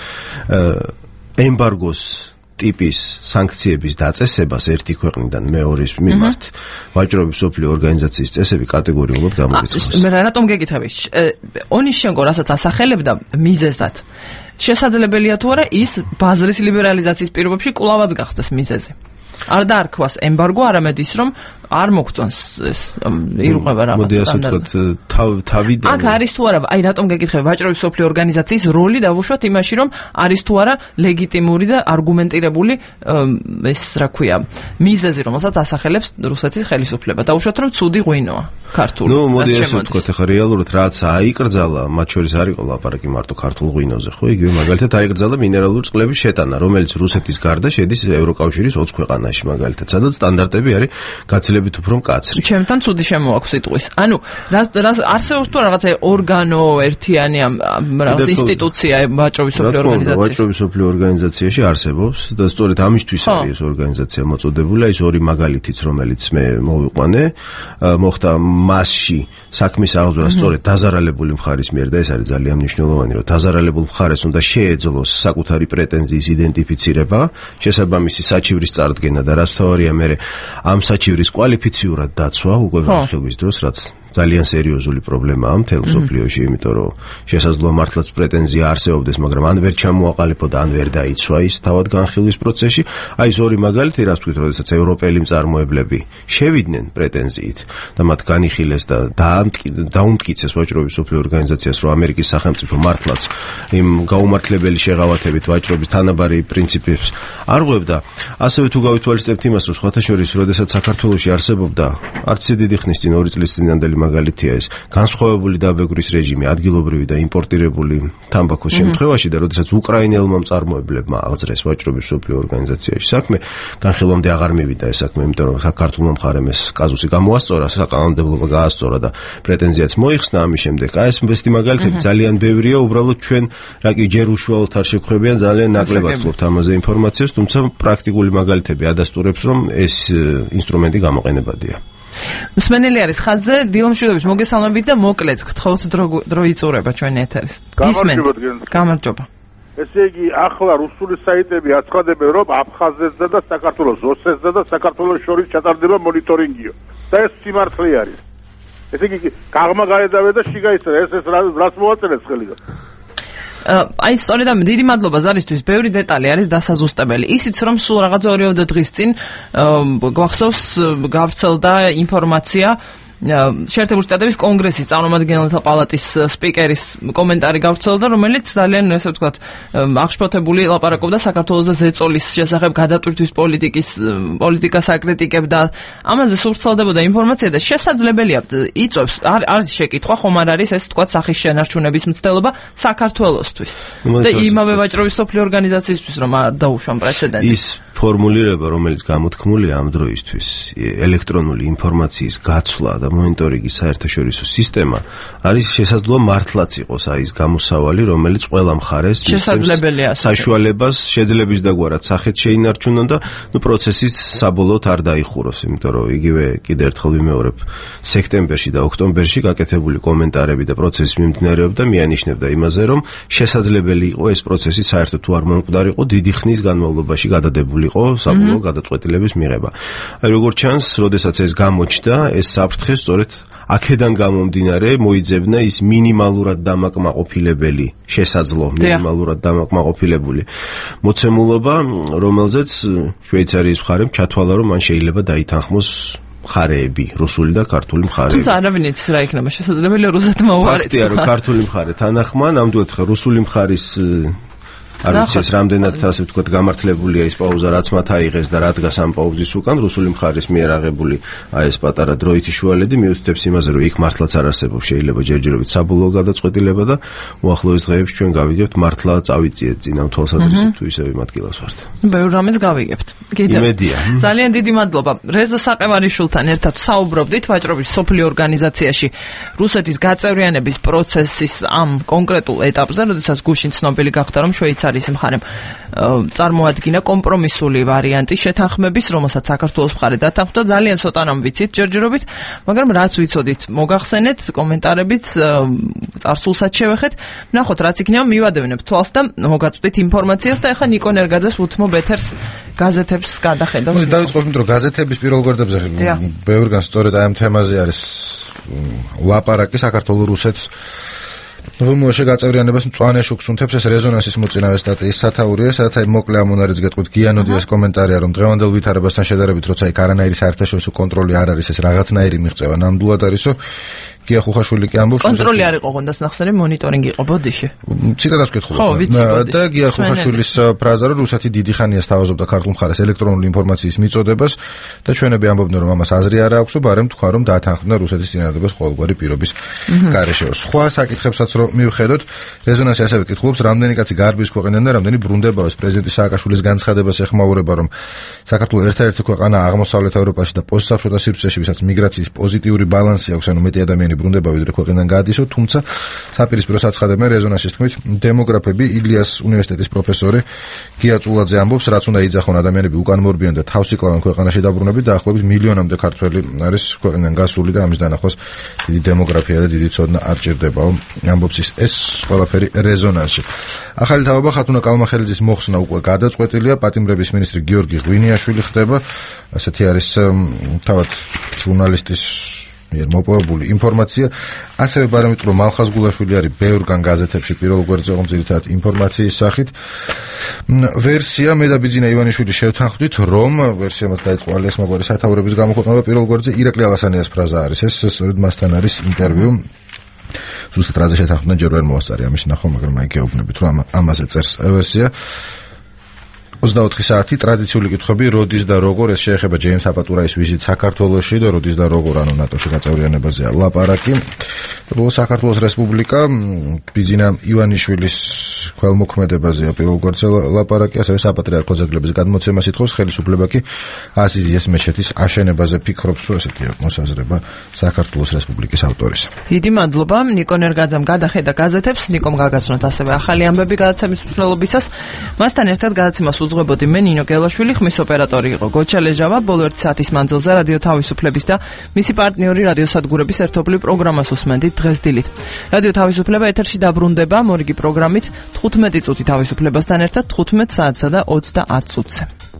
ემბარგოს ტიპის სანქციების დაწესებას ერთი ქვეყნიდან მეორის მიმართ ვაჭრობის სოფლიო ორგანიზაციის წესები კატეგორიულად გამორიცხავს. მე რატომ გეკითხები? ონიშენკო რასაც ასახელებდა მიზეზად. შესაძლებელია თუ არა ის ბაზრის ლიბერალიზაციის პირობებში კვლავაც გახდეს მიზეზი. არ დაარქვას ემბარგო, არამედ ის რომ არ მოგწონს ეს ირღვევა რაღაც მოდი ასე ვთქვათ თავიდან. აქ არის თუ არა, აი რატომ გეკითხები ვაჭრობის სოფლიო ორგანიზაციის როლი დავუშვათ იმაში, რომ არის თუ არა ლეგიტიმური და არგუმენტირებული ეს რა ქვია მიზეზი, რომელსაც ასახელებს რუსეთის ხელისუფლება. დავუშვათ რომ ცუდი ღვინოა ქართული. ნუ მოდი ასე ვთქვათ, ახლა რეალურად რაც აიკრძალა, მათ შორის არ იყო ლაპარაკი მარტო ქართულ ღვინოზე, ხო? იგივე მაგალითად აიკრძალა მინერალური წყლების შეტანა, რომელიც რუსეთის გარდა შედის ევროკავშირის 20 ქვეყანაში მაგალითად, სადაც სტანდარტები არის გაცილებით უფრო მკაცრი. ჩემთან ცუდი შემოაქვს სიტყვის. ანუ არსებობს თუ რაღაცა ორგანო ერთიანი რაღაც ინსტიტუცია ვაჭრობის სოფლიო ორგანიზაციაში? ვაჭრობის სოფლიო ორგანიზაციაში არსებობს და სწორედ ამისთვის არის ეს ორგანიზაცია მოწოდებული, ის ორი მაგალითიც, რომელიც მე მოვიყვანე, მოხდა მასში საქმის აღძვრა სწორედ დაზარალებული მხარის მიერ და ეს არის ძალიან მნიშვნელოვანი, რომ დაზარალებულ მხარეს უნდა შეეძლოს საკუთარი პრეტენზიის იდენტიფიცირება, შესაბამისი საჩივრის წარდგენა და რაც თავარია მე ამ საჩივრის კვალიფიციურად დაცვა უკვე განხილვის დროს, რაც ძალიან სერიოზული პრობლემაა მთელ მსოფლიოში, იმიტომ რომ შესაძლოა მართლაც პრეტენზია არსებობდეს, მაგრამ ან ვერ ჩამოაყალიბდა, ან ვერ დაიცვა ის თავად განხილვის პროცესში. აი ეს ორი მაგალითი, რაც თქვით, როდესაც ევროპელი მწარმოებლები შევიდნენ პრეტენზიით და მათ განიხილეს და დაუმტკიცეს ვაჭრობის მსოფლიო ორგანიზაციას, რომ ამერიკის სახელმწიფო მართლაც იმ გაუმართლებელი შეღავათებით ვაჭრობის თანაბარი პრინციპებს არ ღვევდა. ასევე თუ გავითვალისწინებთ იმას, რომ სხვათა შორის, როდესაც საქართველოში არსებობდა არც დიდი ხნის წინ 2 წლის წინანდელი მაგალითია ეს განსხვავებული დაბეგვრის რეჟიმი ადგილობრივი და იმპორტირებული თამბაქოს შემთხვევაში და როდესაც უკრაინელმა მწარმოებლებმა აღძრეს ვაჭრობის მსოფლიო ორგანიზაციაში საქმე, განხილვამდე აღარ მივიდა ეს საქმე, იმიტომ რომ საქართველოს მხარემ ეს კაზუსი გამოასწორა, საკანონმდებლობა გაასწორა და პრეტენზიაც მოიხსნა ამის შემდეგ. აი ეს მესტი მაგალითები ძალიან ბევრია, უბრალოდ ჩვენ რაკი ჯერ უშუალოდ არ შეგხვებიან, ძალიან ნაკლებად ვთქვით ამაზე ინფორმაციას, თუმცა პრაქტიკული მაგალითები ადასტურებს, რომ ეს ინსტრუმენტი გამოყენებადია. მსმენელი არის ხაზზე, დილომშვიდობის მოგესალმებით და მოკლედ გთხოვთ დრო იწურება ჩვენ ეთერის. გამარჯობა. ესე იგი, ახლა რუსული საიტები აცხადებენ, რომ აფხაზეთსა და საქართველოს ოსეთსა და საქართველოს შორის ჩატარდება მონიტორინგიო. და ეს სიმართლე არის. ესე იგი, გაღმა გაედავე და შიგაიცრა, ეს რას მოაწერეს ხელიდან? აი სწორედ ამ დიდი მადლობა ზარისთვის, ბევრი დეტალი არის დასაზუსტებელი. ისიც რომ სულ რაღაც 2 დღის წინ გვახსოვს გავრცელდა ინფორმაცია შეერთებული შტატების კონგრესის წარმომადგენელთა პალატის სპიკერის კომენტარი გავრცელდა, რომელიც ძალიან ესე ვთქვათ აღშფოთებული ლაპარაკობდა საქართველოს და ზეწოლის შესახებ გადატვირთვის პოლიტიკას აკრიტიკებდა. ამაზე სურცელდებოდა ინფორმაცია და შესაძლებელია იწვევს არის შეკითხვა, ხომ არ არის ეს ვთქვათ სახის შენარჩუნების მცდელობა საქართველოსთვის და იმავე ვაჭრობის მსოფლიო ორგანიზაციისთვის რომ არ დაუშვან პრეცედენტი. ის ფორმულირება, რომელიც გამოთქმულია ამ დროისთვის, ელექტრონული ინფორმაციის გაცვლა და მონიტორინგის საერთაშორისო სისტემა არის შესაძლოა მართლაც იყოს აი ეს გამოსავალი, რომელიც ყველა მხარეს საშუალებას შეძლების დაგვარად სახეთ შეინარჩუნონ და პროცესის საბოლოოდ არ დაიხუროს, იმიტომ რომ იგივე კიდევ ერთხელ ვიმეორებ, სექტემბერში და ოქტომბერში გაკეთებული კომენტარები და პროცესის მიმდინარეობდა მიანიშნებდა იმაზე, რომ შესაძლებელი იყო ეს პროცესი საერთოდ თუ არ მომკვდარიყო დიდი ხნის განმავლობაში გადადებული საბოლოო გადაწყვეტილების მიღება. აი როგორც ჩანს, როდესაც ეს გამოჩნდა, ეს საფრთხე სწორედ აქედან გამომდინარე მოიძებნა ის მინიმალურად დამაკმაყოფილებელი შესაძლო, მინიმალურად დამაკმაყოფილებული მოცემულობა, რომელზეც შვეიცარიის მხარემ ჩათვალა, რომ მან შეიძლება დაითანხმოს მხარეები, რუსული და ქართული მხარეები. თუმცა არავინ იცის რა იქნება შესაძლებელია რუსეთმა უარეს. ფაქტია, რომ ქართული მხარე თანახმა, ნამდვილად რუსული მხარის არ ვიცი ეს რამდენად ასე ვთქვათ გამართლებულია ის პაუზა, რაც მათ აიღეს და რა დგას ამ პაუზის უკან, რუსული მხარის მიერ აღებული აი ეს პატარა დროითი შუალედი მიუთითებს იმაზე, რომ იქ მართლაც არ არსებობს შეიძლება ჯერჯერობით საბოლოო გადაწყვეტილება და უახლოეს დღეებში ჩვენ გავიგებთ მართლა წავიწიეთ წინ ამ თვალსაზრისით თუ ისევ იმ ადგილას ვართ. ბევრ რამეს გავიგებთ. იმედია. ძალიან დიდი მადლობა. რეზო საყევარიშვილთან ერთად საუბრობდით ვაჭრობის მსოფლიო ორგანიზაციაში რუსეთის გაწევრიანების პროცესის ამ კონკრეტულ ეტაპზე, როდესაც გუშინ ცნობილი გახდა, რომ შვეიცარიის მხარემ წარმოადგინა კომპრომისული ვარიანტი შეთანხმების, რომელსაც საქართველოს მხარე დათანხმდა. ძალიან ცოტა რამ ვიცით ჯერჯერობით, მაგრამ რაც ვიცოდით, მოგახსენეთ კომენტარებით, წარსულსაც შევეხეთ. ნახოთ, რაც იქნება, მივადევნებ თვალს და მოგაწვდით ინფორმაციას და ეხლა ნიკო ნერგაძეს უთმობ ეთერს გაზეთებს გადახედავს. დავიწყოთ, რომ გაზეთების პირველ გვერდებზე ბევრგან სწორედ აი ამ თემაზე არის ლაპარაკი საქართველოს რუსეთს რომელშე გაწევრიანებას მწვანე შუქს უნთებს ეს რეზონანსის მოწინავე სტატიის სათაურია, სადაც აი მოკლე ამონარიც გეტყვით გიანოდიას კომენტარია, რომ დღევანდელ ვითარებასთან შედარებით, როცა აი არანაირი საერთაშორისო კონტროლი არ არის, ეს რაღაცნაირი მიღწევა ნამდვილად არისო. გია ხუხაშვილი კი ამბობს, კონტროლი არ იყო გონდას ნახსენე, მონიტორინგი იყო ბოდიში. ციტატას ვკითხულობ. და გია ხუხაშვილის ფრაზა, რომ რუსეთი დიდი ხანია სთავაზობდა ქართულ მხარეს ელექტრონული ინფორმაციის მიწოდებას და ჩვენები ამბობდნენ, რომ ამას აზრი არ აქვს, ბარემ თქვა, რომ დაათანხმდა რუსეთის წინადადებას ყოველგვარი პირობის გარეშე. სხვა საკითხებსაც რომ მივხედოთ, რეზონანსი ასევე კითხულობს, რამდენი კაცი გარბის ქვეყნიდან და რამდენი ბრუნდებაოს პრეზიდენტი სააკაშვილის განცხადებას ეხმაურება, რომ საქართველოს ერთ-ერთი ქვეყანა აღმოსავლეთ ევროპაში და პოსტსაბჭოთა სივრცეში, ვისაც მიგრაციის პოზიტიური ბალანსი აქვს, ანუ მეტი ადამიანი ბრუნდება ვიდრე ქვეყნიდან გაადისო, თუმცა საპირისპირო საცხადებენ რეზონანსის თქმით, დემოგრაფები ილიას უნივერსიტეტის პროფესორი გია წულაძე ამბობს, რაც უნდა იძახონ ადამიანები უკან მორბიან და თავს იკლავენ ქვეყანაში დაბრუნებით, დაახლოებით მილიონამდე ქართველი არის ქვეყნიდან გასული და ამის დანახვას დიდი დემოგრაფია და დიდი ცოდნა არ ჭირდებაო, ამბობს ეს ყველაფერი რეზონანსში. ახალი თავობა ხათუნა კალმახელიძის მოხსნა უკვე გადაწყვეტილია, პატიმრების მინისტრი გიორგი ღვინიაშვილი ხდება, ასეთი არის თავად ჟურნალისტის მიერ მოპოვებული ინფორმაცია, ასევე პარამეტრო მალხაზ გულაშვილი არის ბევრგან გაზეთებში პირველ გვერდზე ძირითადად ინფორმაციის სახით. ვერსია მე და ბიძინა ივანიშვილი შევთანხმდით, რომ ვერსია მათ დაიწყო ალიას მოგვარი სათაურების გამოქვეყნება პირველ გვერდზე ირაკლი ალასანიას ფრაზა არის. ეს სწორედ მასთან არის ინტერვიუ. ზუსტად რაზე შეთანხმდნენ ჯერ ვერ მოასწარი ამის ნახვა, მაგრამ აი გეუბნებით, რომ ამაზე წერს ვერსია. 24 საათი ტრადიციული კითხვები, როდის და როგორ, ეს შეეხება ჯეიმს აპატურაის ვიზიტ საქართველოში და როდის და როგორ, ანუ ნატოში გაწევრიანებაზეა ლაპარაკი. საქართველოს რესპუბლიკა ბიძინა ივანიშვილის ქველმოქმედებაზეა პირველ გვერდზე ლაპარაკი, ასევე საპატრიარქო ძეგლების გადმოცემას ითხოვს, ხელისუფლება კი აზიზიეს მეჩეთის აშენებაზე ფიქრობს, რომ ესეთი მოსაზრება საქართველოს რესპუბლიკის ავტორის. დიდი მადლობა ნიკო ნერგაძემ გადახედა გაზეთებს, ნიკომ გაგაცნოთ ასევე ახალი ამბები გადაცემის მსვლელობისას. მასთან ერთად გადაცემას უძღვებოდი მე ნინო გელაშვილი, ხმის ოპერატორი იყო გოჩა ლეჟავა. ბოლო 1 საათის მანძილზე რადიო თავისუფლების და მისი პარტნიორი რადიო სადგურების ერთობლივ პროგრამას უსმენდით დღეს დილით. რადიო თავისუფლება ეთერში დაბრუნდება მორიგი პროგრამით 15 წუთი თავისუფლებასთან ერთად 15 საათსა და 30 წუთზე.